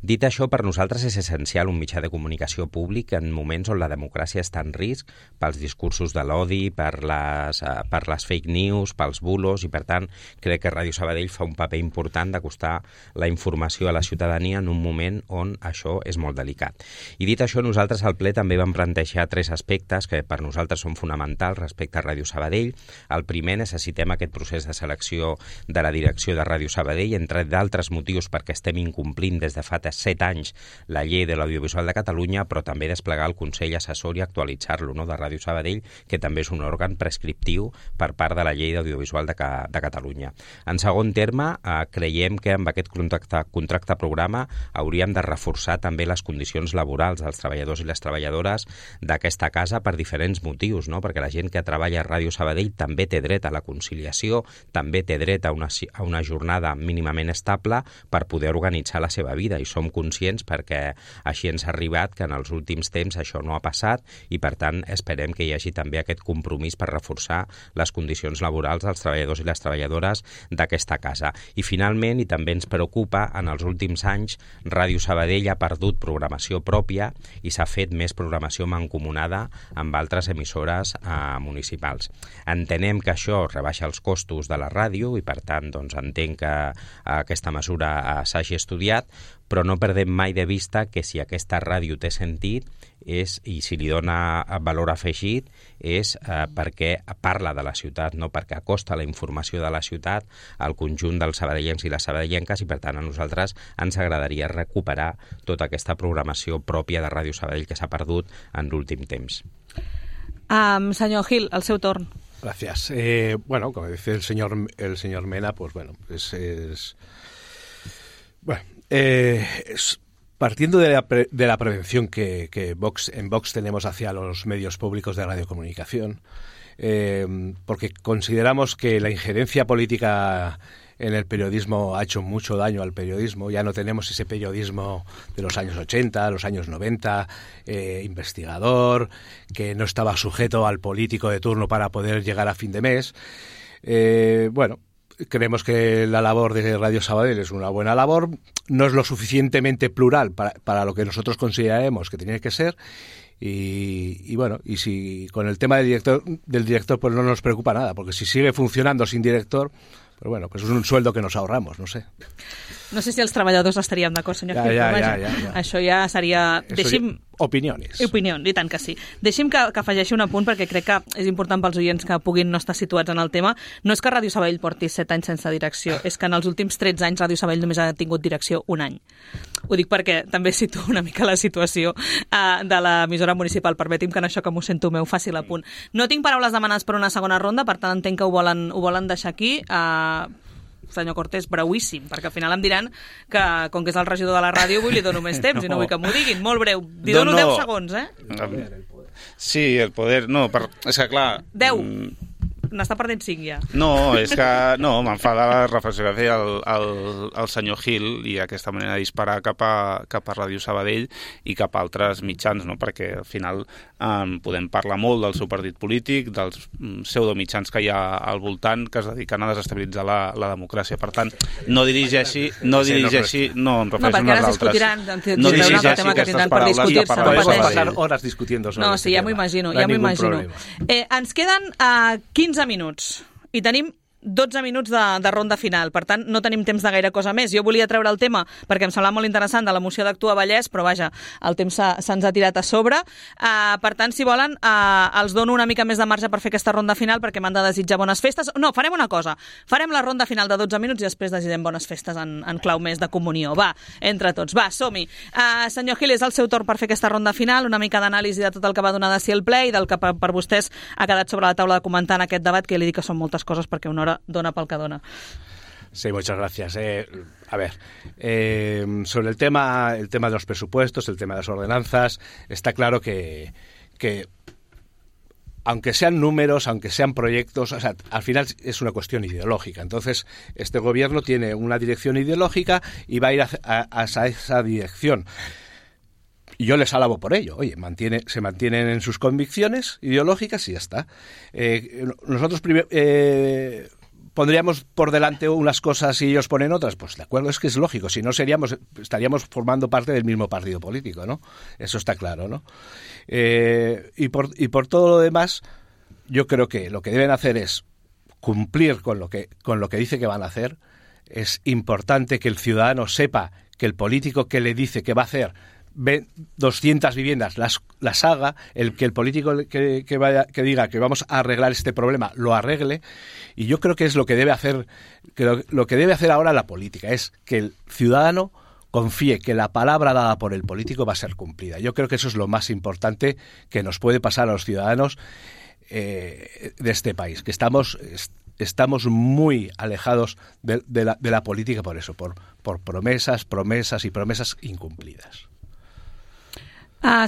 Speaker 6: Dit això, per nosaltres és essencial un mitjà de comunicació públic en moments on la democràcia està en risc pels discursos de l'odi, per les fake news, pels bulos, i per tant crec que Ràdio Sabadell fa un paper important d'acostar la informació a la ciutadania en un moment on això és molt delicat. I dit això, nosaltres al ple també vam plantejar 3 aspectes que per nosaltres són fonamentals respecte a Ràdio Sabadell. El primer, necessitem aquest procés de selecció de la direcció de Ràdio Sabadell, entre d'altres motius perquè estem incomplint des de fa 7 anys la llei de l'audiovisual de Catalunya, però també desplegar el Consell Assessor i actualitzar-lo, no?, de Ràdio Sabadell, que també és un òrgan prescriptiu per part de la llei d'audiovisual de Catalunya. En segon terme, creiem que amb aquest contracte programa hauríem de reforçar també les condicions laborals dels treballadors i les treballadores d'aquesta casa per diferents motius, no? Perquè la gent que treballa a Ràdio Sabadell també té dret a la conciliació, també té dret a una jornada mínimament estable per poder organitzar la seva vida, i som conscients perquè així ens ha arribat que en els últims temps això no ha passat i per tant esperem que hi hagi també aquest compromís per reforçar les condicions laborals dels treballadors i les treballadores d'aquesta casa. I finalment, i també ens preocupa, en els últims anys Ràdio Sabadell ha perdut programació pròpia i s'ha fet més programació mancomunada amb altres emissores municipals. Entenem que això rebaixa els costos de la ràdio i per tant doncs, entenc que aquesta mesura s'hagi estudiat, però no perdem mai de vista que si aquesta ràdio té sentit i si li dona valor afegit és perquè parla de la ciutat, no perquè acosta la informació de la ciutat al conjunt dels sabadellencs i les sabadellenques, i per tant a nosaltres ens agradaria recuperar tota aquesta programació pròpia de Ràdio Sabadell que s'ha perdut en l'últim temps.
Speaker 1: Senyor Gil, el seu torn.
Speaker 7: Gracias. Bueno, como dice el señor Mena, pues bueno, partiendo de la prevención que en Vox tenemos hacia los medios públicos de radiocomunicación, porque consideramos que la injerencia política en el periodismo ha hecho mucho daño al periodismo. Ya no tenemos ese periodismo de los años 80, los años 90, investigador, que no estaba sujeto al político de turno para poder llegar a fin de mes. Bueno, creemos que la labor de Radio Sabadell es una buena labor, no es lo suficientemente plural para lo que nosotros consideramos que tiene que ser. Y bueno, y si con el tema del director pues no nos preocupa nada, porque si sigue funcionando sin director, pues bueno, pues és un sueldo que nos ahorramos, no sé.
Speaker 1: No sé si els treballadors estaríem d'acord, senyor Gil, però vaja, això ja seria...
Speaker 7: Opinions.
Speaker 1: Opinions, i tant que sí. Deixi'm que afegeixi un apunt, perquè crec que és important pels oients que puguin no estar situats en el tema. No és que Ràdio Sabadell porti 7 anys sense direcció, és que en els últims 13 anys Ràdio Sabadell només ha tingut direcció un any. Ho dic perquè també situo una mica la situació de l'emissora municipal. Permeti'm que en això que m'ho sento meu faci l'apunt. No tinc paraules demanades per una segona ronda, per tant entenc que ho volen deixar aquí. Senyor Cortés, breuíssim, perquè al final em diran que, com que és el regidor de la ràdio, avui li dono més temps i no vull que m'ho diguin. Molt breu. Li dono 10 segons,
Speaker 2: Sí, el poder... No, és que clar...
Speaker 1: 10. N'està perdent 5 ja.
Speaker 2: No, és que m'enfada la reflexió que feia el senyor Gil i aquesta manera de disparar cap a Ràdio Sabadell i cap a altres mitjans, no? Perquè al final podem parlar molt del seu partit polític, dels pseudomitjans que hi ha al voltant que es dediquen a desestabilitzar la democràcia. Per tant, no dirigeixi, no, em refereixo a nosaltres.
Speaker 1: No dirigeixi aquestes paraules i
Speaker 7: podem passar hores discutiendo sobre
Speaker 1: no, sí, ja m'ho imagino, ens queden 15 minuts i tenim 12 minuts de ronda final, per tant no tenim temps de gaire cosa més. Jo volia treure el tema perquè em semblava molt interessant de la moció d'Actua Vallès, però vaja, el temps se'ns ha tirat a sobre. Per tant, si volen, els dono una mica més de marge per fer aquesta ronda final perquè m'han de desitjar bones festes. No, farem una cosa, farem la ronda final de 12 minuts i després desitgem bones festes en clau més de comunió. Va, entre tots, va, som-hi. Senyor Gil, és el seu torn per fer aquesta ronda final, una mica d'anàlisi de tot el que va donar de si el ple i del que per vostès ha quedat sobre la taula de comentar en aquest debat, que li dic que són moltes coses perquè una hora dona pel que dona.
Speaker 7: Sí, muchas gracias. A ver, sobre el tema de los presupuestos, el tema de las ordenanzas, está claro que aunque sean números, aunque sean proyectos, o sea, al final es una cuestión ideológica. Entonces, este gobierno tiene una dirección ideológica y va a ir hacia esa dirección. Y yo les alabo por ello. Oye, se mantienen en sus convicciones ideológicas y ya está. Nosotros pondríamos por delante unas cosas y ellos ponen otras. Pues de acuerdo, es que es lógico. Si no estaríamos formando parte del mismo partido político, ¿no? Eso está claro, ¿no? Y por todo lo demás, yo creo que lo que deben hacer es cumplir con lo que dice que van a hacer. Es importante que el ciudadano sepa que el político que le dice que va a hacer 200 viviendas las haga, que el político que diga que vamos a arreglar este problema lo arregle, y yo creo que es lo que debe hacer, lo que debe hacer ahora la política, es que el ciudadano confíe que la palabra dada por el político va a ser cumplida. Yo creo que eso es lo más importante que nos puede pasar a los ciudadanos de este país, que estamos muy alejados de la política por eso, por promesas y promesas incumplidas.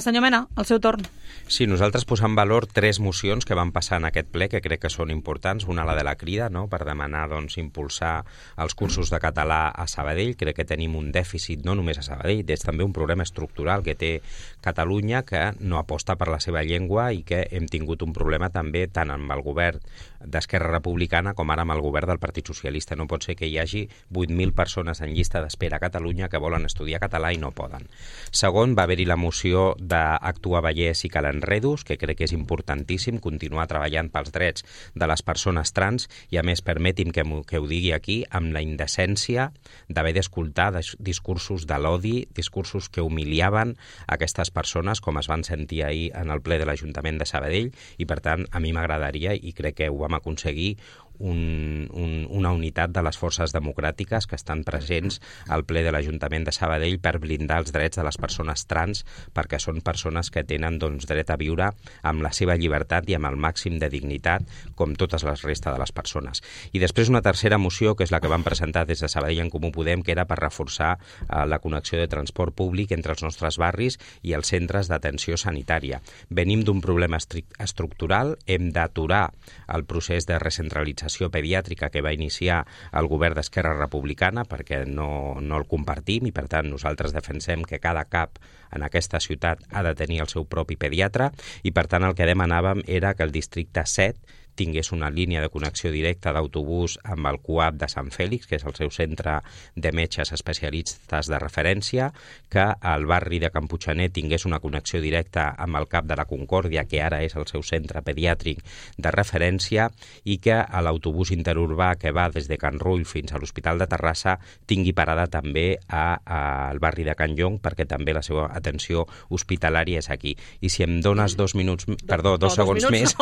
Speaker 1: Senyor Mena, el seu torn.
Speaker 6: Sí, nosaltres posem en valor 3 mocions que van passar en aquest ple que crec que són importants. Una, la de la Crida, no?, per demanar impulsar els cursos de català a Sabadell. Crec que tenim un dèficit no només a Sabadell, és també un problema estructural que té Catalunya, que no aposta per la seva llengua i que hem tingut un problema també tant amb el govern d'Esquerra Republicana com ara amb el govern del Partit Socialista. No pot ser que hi hagi 8.000 persones en llista d'espera a Catalunya que volen estudiar català i no poden. Segon, va haver-hi la moció d'Actua Vallès i Calanredos, que crec que és importantíssim continuar treballant pels drets de les persones trans i, a més, permeti'm que ho digui aquí, amb la indecència d'haver d'escoltar discursos de l'odi, discursos que humiliaven aquestes persones, com es van sentir ahir en el ple de l'Ajuntament de Sabadell, i, per tant, a mi m'agradaria, i crec que ho vam aconseguir, una unitat de les forces democràtiques que estan presents al ple de l'Ajuntament de Sabadell per blindar els drets de les persones trans, perquè són persones que tenen dret a viure amb la seva llibertat i amb el màxim de dignitat com totes les restes de les persones. I després una tercera moció, que és la que vam presentar des de Sabadell en Comú Podem, que era per reforçar la connexió de transport públic entre els nostres barris i els centres d'atenció sanitària. Venim d'un problema estructural, hem d'aturar el procés de recentralització d'Educació Pediàtrica que va iniciar el govern d'Esquerra Republicana, perquè no el compartim i, per tant, nosaltres defensem que cada CAP en aquesta ciutat ha de tenir el seu propi pediatre i, per tant, el que demanàvem era que el districte 7 tingués una línia de connexió directa d'autobús amb el CUAP de Sant Fèlix, que és el seu centre de metges especialistes de referència, que el barri de Can Puiggener tingués una connexió directa amb el CAP de la Concòrdia, que ara és el seu centre pediàtric de referència, i que l'autobús interurbà que va des de Can Rull fins a l'Hospital de Terrassa tingui parada també al barri de Can Llong, perquè també la seva atenció hospitalària és aquí. I si em dones dos segons més,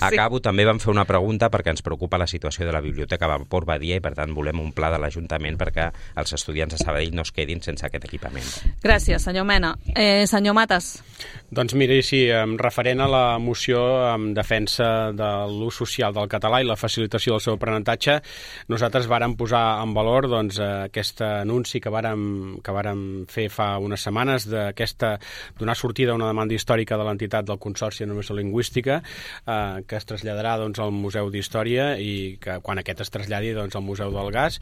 Speaker 6: acabo. També vam fer una pregunta perquè ens preocupa la situació de la Biblioteca Vapor Badia i, per tant, volem un pla de l'Ajuntament perquè els estudiants de Sabadell no es quedin sense aquest equipament.
Speaker 1: Gràcies, senyor Mena. Senyor Matas.
Speaker 5: Doncs mira, sí, referent a la moció en defensa de l'ús social del català i la facilitació del seu aprenentatge, nosaltres vàrem posar en valor aquest anunci que vàrem fer fa unes setmanes donar sortida a una demanda històrica de l'entitat del Consorci de Normació Lingüística que es traslladarà al Museu d'Història i que quan aquest es traslladi al Museu del Gas.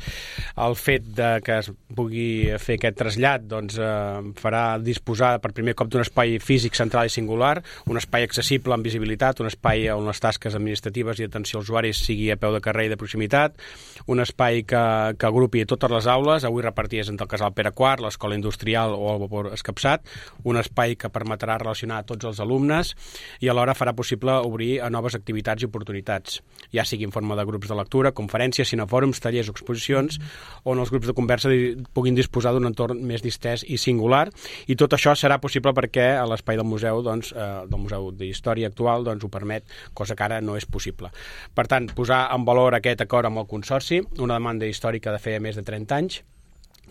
Speaker 5: El fet que es pugui fer aquest trasllat farà disposar per primer cop d'un espai físic central i singular, un espai accessible amb visibilitat, un espai on les tasques administratives i atenció als usuaris sigui a peu de carrer i de proximitat, un espai que agrupi totes les aules, avui repartides entre el Casal Pere IV, l'Escola Industrial o el Vapor Escapçat, un espai que permetrà relacionar tots els alumnes i alhora farà possible obrir a noves activitats i oportunitats, ja sigui en forma de grups de lectura, conferències, cinefòrums, tallers o exposicions, on els grups de conversa puguin disposar d'un entorn més distès i singular, i tot això serà possible perquè l'espai del museu, del Museu d'Història actual, ho permet, cosa que ara no és possible. Per tant, posar en valor aquest acord amb el Consorci, una demanda històrica de feia més de 30 anys,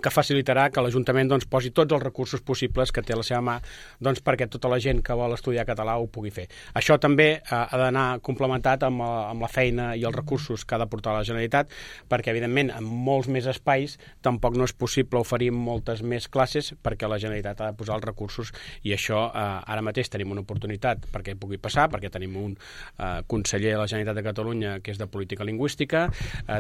Speaker 5: que facilitarà que l'Ajuntament posi tots els recursos possibles que té a la seva mà perquè tota la gent que vol estudiar català ho pugui fer. Això també ha d'anar complementat amb la feina i els recursos que ha de portar la Generalitat, perquè, evidentment, en molts més espais tampoc no és possible oferir moltes més classes perquè la Generalitat ha de posar els recursos i això ara mateix tenim una oportunitat perquè pugui passar, perquè tenim un conseller de la Generalitat de Catalunya que és de política lingüística,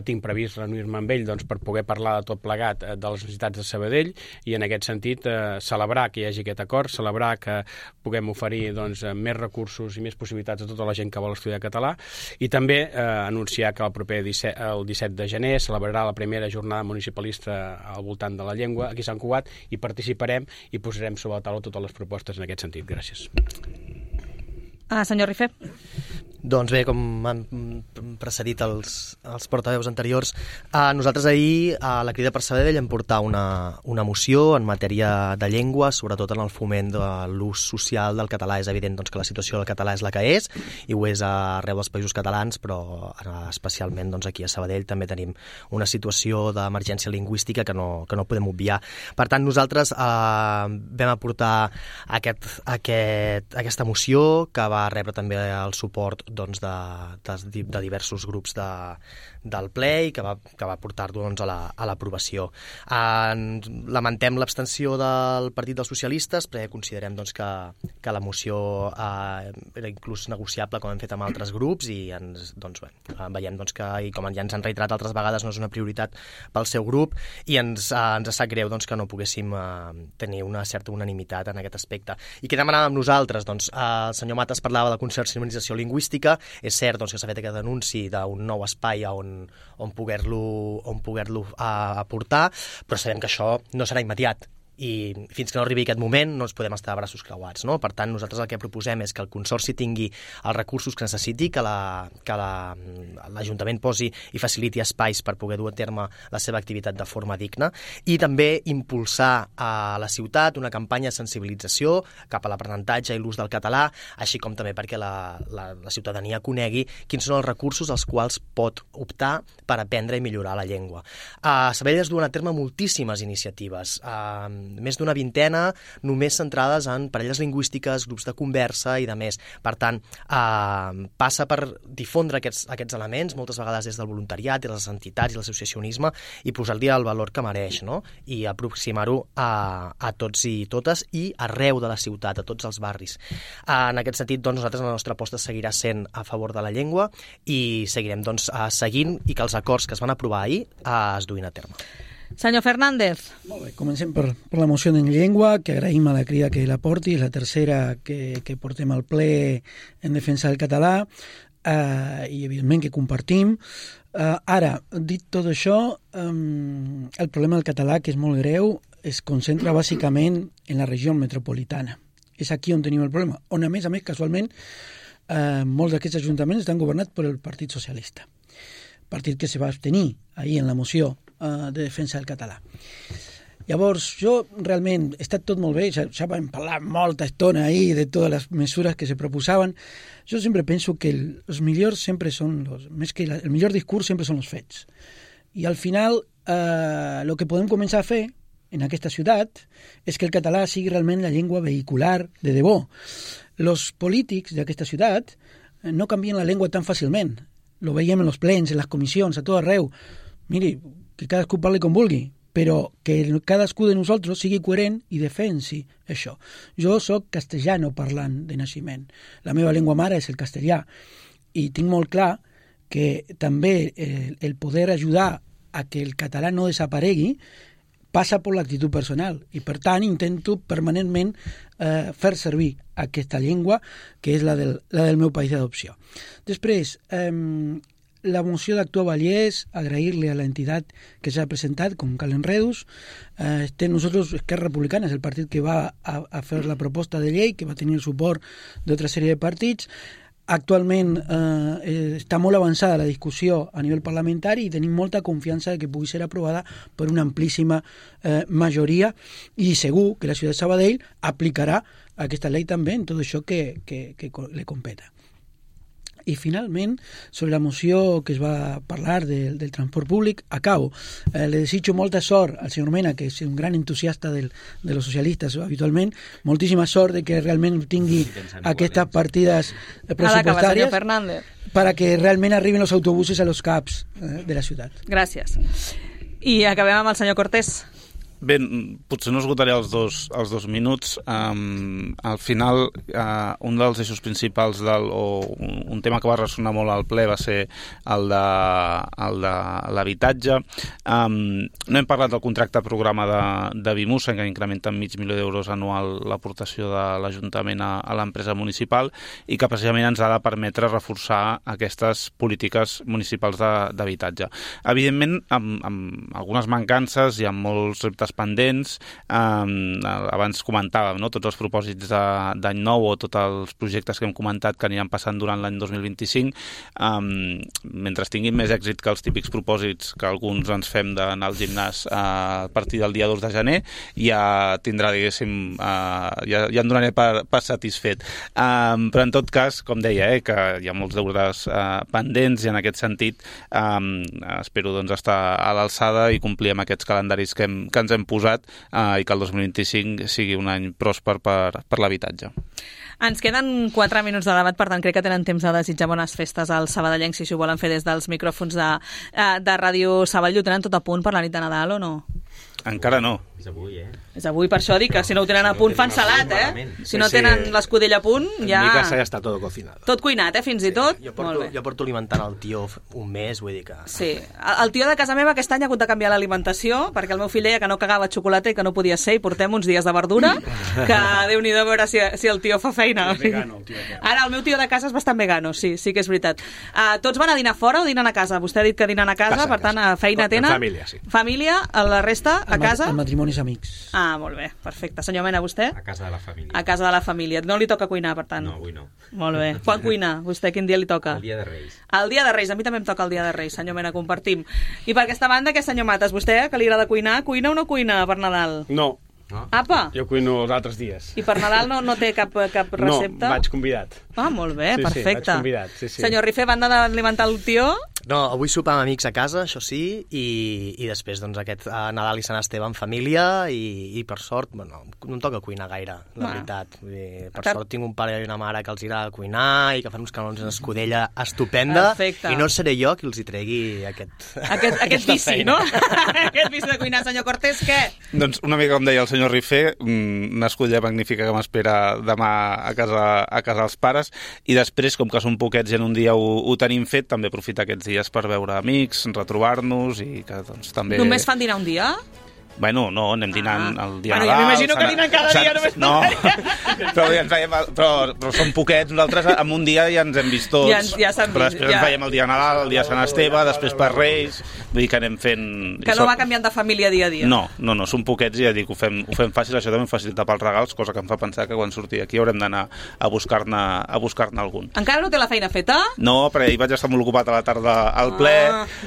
Speaker 5: tinc previst reunir-me amb ell per poder parlar de tot plegat de les necessitats de Sabadell i en aquest sentit celebrar que hi hagi aquest acord, celebrar que puguem oferir més recursos i més possibilitats a tota la gent que vol estudiar català i també anunciar que el proper el 17 de gener celebrarà la primera jornada municipalista al voltant de la llengua aquí a Sant Cugat i participarem i posarem sobre la taula totes les propostes en aquest sentit. Gràcies.
Speaker 1: Senyor Rifé.
Speaker 4: Doncs bé, com han precedit els portaveus anteriors, nosaltres ahir a la Crida per Sabadell vam portar una moció en matèria de llengua, sobretot en el foment de l'ús social del català. És evident que la situació del català és la que és, i ho és arreu dels països catalans, però especialment aquí a Sabadell també tenim una situació d'emergència lingüística que no podem obviar. Per tant, nosaltres vam aportar aquesta moció, que va rebre també el suport de diversos grups del ple i que va portar-ho a l'aprovació. Lamentem l'abstenció del Partit dels Socialistes perquè considerem que la moció era inclús negociable com hem fet amb altres grups i veiem que, i com ja ens han reiterat altres vegades, no és una prioritat pel seu grup i ens sap greu que no poguéssim tenir una certa unanimitat en aquest aspecte. I què demanàvem nosaltres? El senyor Matas parlava de consorci de normalització lingüística. És cert que s'ha fet aquest anunci d'un nou espai on poder-lo aportar, però sabem que això no serà immediat. I fins que no arribi aquest moment no ens podem estar a braços creuats, no? Per tant, nosaltres el que proposem és que el Consorci tingui els recursos que necessiti, que l'Ajuntament posi i faciliti espais per poder dur a terme la seva activitat de forma digna i també impulsar a la ciutat una campanya de sensibilització cap a l'aprenentatge i l'ús del català, així com també perquè la ciutadania conegui quins són els recursos als quals pot optar per aprendre i millorar la llengua. A Sabadell es duen a terme moltíssimes iniciatives. més d'una vintena, només centrades en parelles lingüístiques, grups de conversa i de més. Per tant, passa per difondre aquests elements, moltes vegades des del voluntariat, des de les entitats i l'associacionisme, i posar-li el valor que mereix, no? I aproximar-ho a tots i totes i arreu de la ciutat, a tots els barris. En aquest sentit, doncs, nosaltres la nostra aposta seguirà sent a favor de la llengua i seguirem doncs, seguint i que els acords que es van aprovar ahir es duin a terme.
Speaker 1: Senyor Fernández.
Speaker 3: Molt bé, comencem per la moció en llengua, que agraïm a la crida que la porti, és la tercera que portem al ple en defensa del català, i evidentment que compartim. Ara, dit tot això, el problema del català, que és molt greu, es concentra bàsicament en la regió metropolitana. És aquí on tenim el problema, on a més, casualment, molts d'aquests ajuntaments estan governats per el Partit Socialista, partit que se va abstenir ahir en la moció de defensa del català. Llavors, jo realment, ha estat tot molt bé, ja vam parlar molta estona ahir de totes les mesures que se proposaven. Jo sempre penso que els millors sempre són el millor discurs sempre són els fets. I al final, el que podem començar a fer en aquesta ciutat és que el català sigui realment la llengua vehicular de debò. Els polítics d'aquesta ciutat no canvien la llengua tan fàcilment. Lo veiem en els plens, en les comissions, a tot arreu. Miri, que cadascú parli com vulgui, però que cadascú de nosaltres sigui coherent i defensi això. Jo soc castellano parlant de naixement. La meva llengua mare és el castellà i tinc molt clar que també el poder ajudar a que el català no desaparegui passa per l'actitud personal i, per tant, intento permanentment fer servir aquesta llengua que és la del meu país d'adopció. Després, la moció d'Actua Vallès, agrair-li a l'entitat que s'ha presentat, com Cal Enredus. Nosotros, Esquerra Republicana, és el partit que va a fer la proposta de llei, que va tenir el suport d'altra sèrie de partits. Actualment està molt avançada la discussió a nivell parlamentari i tenim molta confiança que pugui ser aprovada per una amplíssima majoria i segur que la ciutat de Sabadell aplicarà aquesta llei també en tot això que li competa. I finalment, sobre la moció que es va parlar del transport públic, acabo. Le desitjo molta sort al senyor Mena, que és un gran entusiasta de los socialistes habitualment, moltíssima sort de que realment tingui aquestes partides pressupostàries para que realment arriben els autobusos a los CAPs de la ciutat.
Speaker 1: Gràcies. I acabem amb el senyor Cortés.
Speaker 2: Bé, potser no esgotaré els dos minuts. Al final, un dels eixos principals o un tema que va ressonar molt al ple va ser el de l'habitatge. No hem parlat del contracte programa de Bimusa, que incrementa en €500.000 anual l'aportació de l'Ajuntament a l'empresa municipal i que precisament ens ha de permetre reforçar aquestes polítiques municipals d'habitatge. Evidentment, amb algunes mancances i amb molts reptes pendents. Abans comentàvem, no?, tots els propòsits d'any nou o tots els projectes que hem comentat que aniran passant durant l'any 2025. Mentre tinguin més èxit que els típics propòsits que alguns ens fem d'anar al gimnàs a partir del dia 2 de gener, ja tindrà, diguéssim, ja em donaré per satisfet. Però en tot cas, com deia, que hi ha molts deures pendents i en aquest sentit espero doncs estar a l'alçada i complir amb aquests calendaris que ens hem posat i que el 2025 sigui un any pròsper per l'habitatge.
Speaker 1: Ens queden 4 minuts de debat, per tant crec que tenen temps de desitjar bones festes als sabadellencs si ho volen fer des dels micròfons de Ràdio Sabadell. Ho tenen tot a punt per la nit de Nadal o no?
Speaker 2: Encara no.
Speaker 6: És avui,
Speaker 1: És avui, per això dic que si no ho tenen a punt fan salat, Si no tenen l'escudella a punt, ja...
Speaker 7: En mi casa ja està tot cocinado.
Speaker 1: Tot cuinat, fins i tot?
Speaker 4: Jo porto alimentant el tio un mes, vull dir que...
Speaker 1: Sí, el tio de casa meva aquest any ha hagut de canviar l'alimentació perquè el meu fill deia que no cagava xocolata i que no podia ser i portem uns dies de verdura que Déu-n'hi-do a veure si el tio fa feina.
Speaker 5: És vegano, el tio.
Speaker 1: Ara el meu tio de casa és bastant vegano, sí que és veritat. Tots van a dinar fora o dinen a casa? Vostè ha dit que dinen a casa, per tant, feina tenen.
Speaker 7: Família, sí.
Speaker 1: Família, la resta a casa?
Speaker 3: El matrimonis amics.
Speaker 1: Ah, molt bé, perfecte. Senyor Mena, vostè?
Speaker 6: A casa de la família.
Speaker 1: A casa de la família. No li toca cuinar, per tant?
Speaker 6: No, avui no.
Speaker 1: Molt bé. Quan cuina? Vostè quin dia li toca?
Speaker 6: El dia de Reis.
Speaker 1: El dia de Reis. A mi també em toca el dia de Reis, senyor Mena, compartim. I per aquesta banda, què, senyor Mates? Vostè, que li agrada cuinar, cuina o no cuina per Nadal?
Speaker 5: No.
Speaker 1: Apa!
Speaker 5: Jo cuino els altres dies.
Speaker 1: I per Nadal no té cap recepta?
Speaker 5: No, vaig convidat.
Speaker 1: Ah, molt bé,
Speaker 5: sí,
Speaker 1: perfecte.
Speaker 5: Sí, vaig convidat, sí.
Speaker 1: Senyor Rifé, banda d'alimentar el tio?
Speaker 4: No, avui sopar amb amics a casa, això sí, i després doncs, aquest Nadal i Sant Esteve en família i per sort, bueno, no em toca cuinar gaire, la veritat. Per sort tinc un pare i una mare que els agrada cuinar i que fan uns canons en escudella estupenda. Perfecte. I no seré jo qui els hi tregui
Speaker 1: aquest vici, no? Aquest vici de cuinar. Senyor Cortés, què?
Speaker 2: Doncs una mica com deia el senyor Rifé, una escudella magnífica que m'espera demà a casa dels pares, i després, com que són poquets i en un dia ho tenim fet, també aprofitar aquests dies per veure amics, retrobar-nos i que doncs també...
Speaker 1: Només fan dinar un dia?
Speaker 2: Bueno, no, anem dinant el dia
Speaker 1: Nadal.
Speaker 2: Ja
Speaker 1: m'imagino que dinen cada dia només.
Speaker 2: No, però som poquets. Nosaltres en un dia ja ens hem vist tots.
Speaker 1: Ja s'han vist.
Speaker 2: Però després ens veiem el dia Nadal, el dia Sant Esteve, després per Reis. Vull dir que anem fent...
Speaker 1: Que no va canviant de família dia a dia.
Speaker 2: No, som poquets i ja dic, ho fem fàcil. Això també facilita pels regals, cosa que em fa pensar que quan surti aquí haurem d'anar a buscar-ne algun.
Speaker 1: Encara no té la feina feta?
Speaker 2: No, perquè ahir vaig estar molt ocupat a la tarda al ple,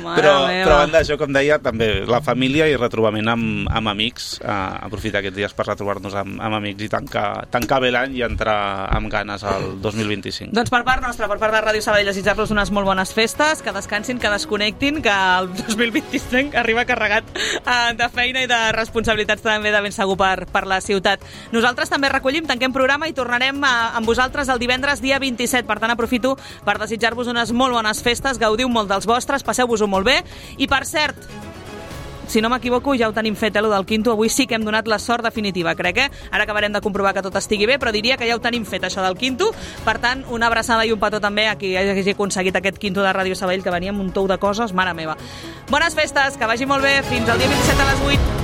Speaker 2: però a banda d'això, com deia, també la família i retrobament amb amics, aprofitar aquests dies per retrobar-nos amb amics i tancar bé l'any i entrar amb ganes al 2025.
Speaker 1: Doncs per part nostra, per part de Ràdio Sabadell, desitjar-los unes molt bones festes, que descansin, que desconnectin, que el 2025 arriba carregat de feina i de responsabilitats també de ben segur per la ciutat. Nosaltres també recollim, tanquem programa i tornarem amb vosaltres el divendres dia 27. Per tant, aprofito per desitjar-vos unes molt bones festes, gaudiu molt dels vostres, passeu-vos-ho molt bé. I per cert, si no m'equivoco, ja ho tenim fet, lo del quinto. Avui sí que hem donat la sort definitiva, crec, Ara acabarem de comprovar que tot estigui bé, però diria que ja ho tenim fet, això del quinto. Per tant, una abraçada i un petó també a qui hagi aconseguit aquest quinto de Ràdio Sabadell, que venia amb un tou de coses, mare meva. Bones festes, que vagi molt bé, fins al dia 27 a les 8.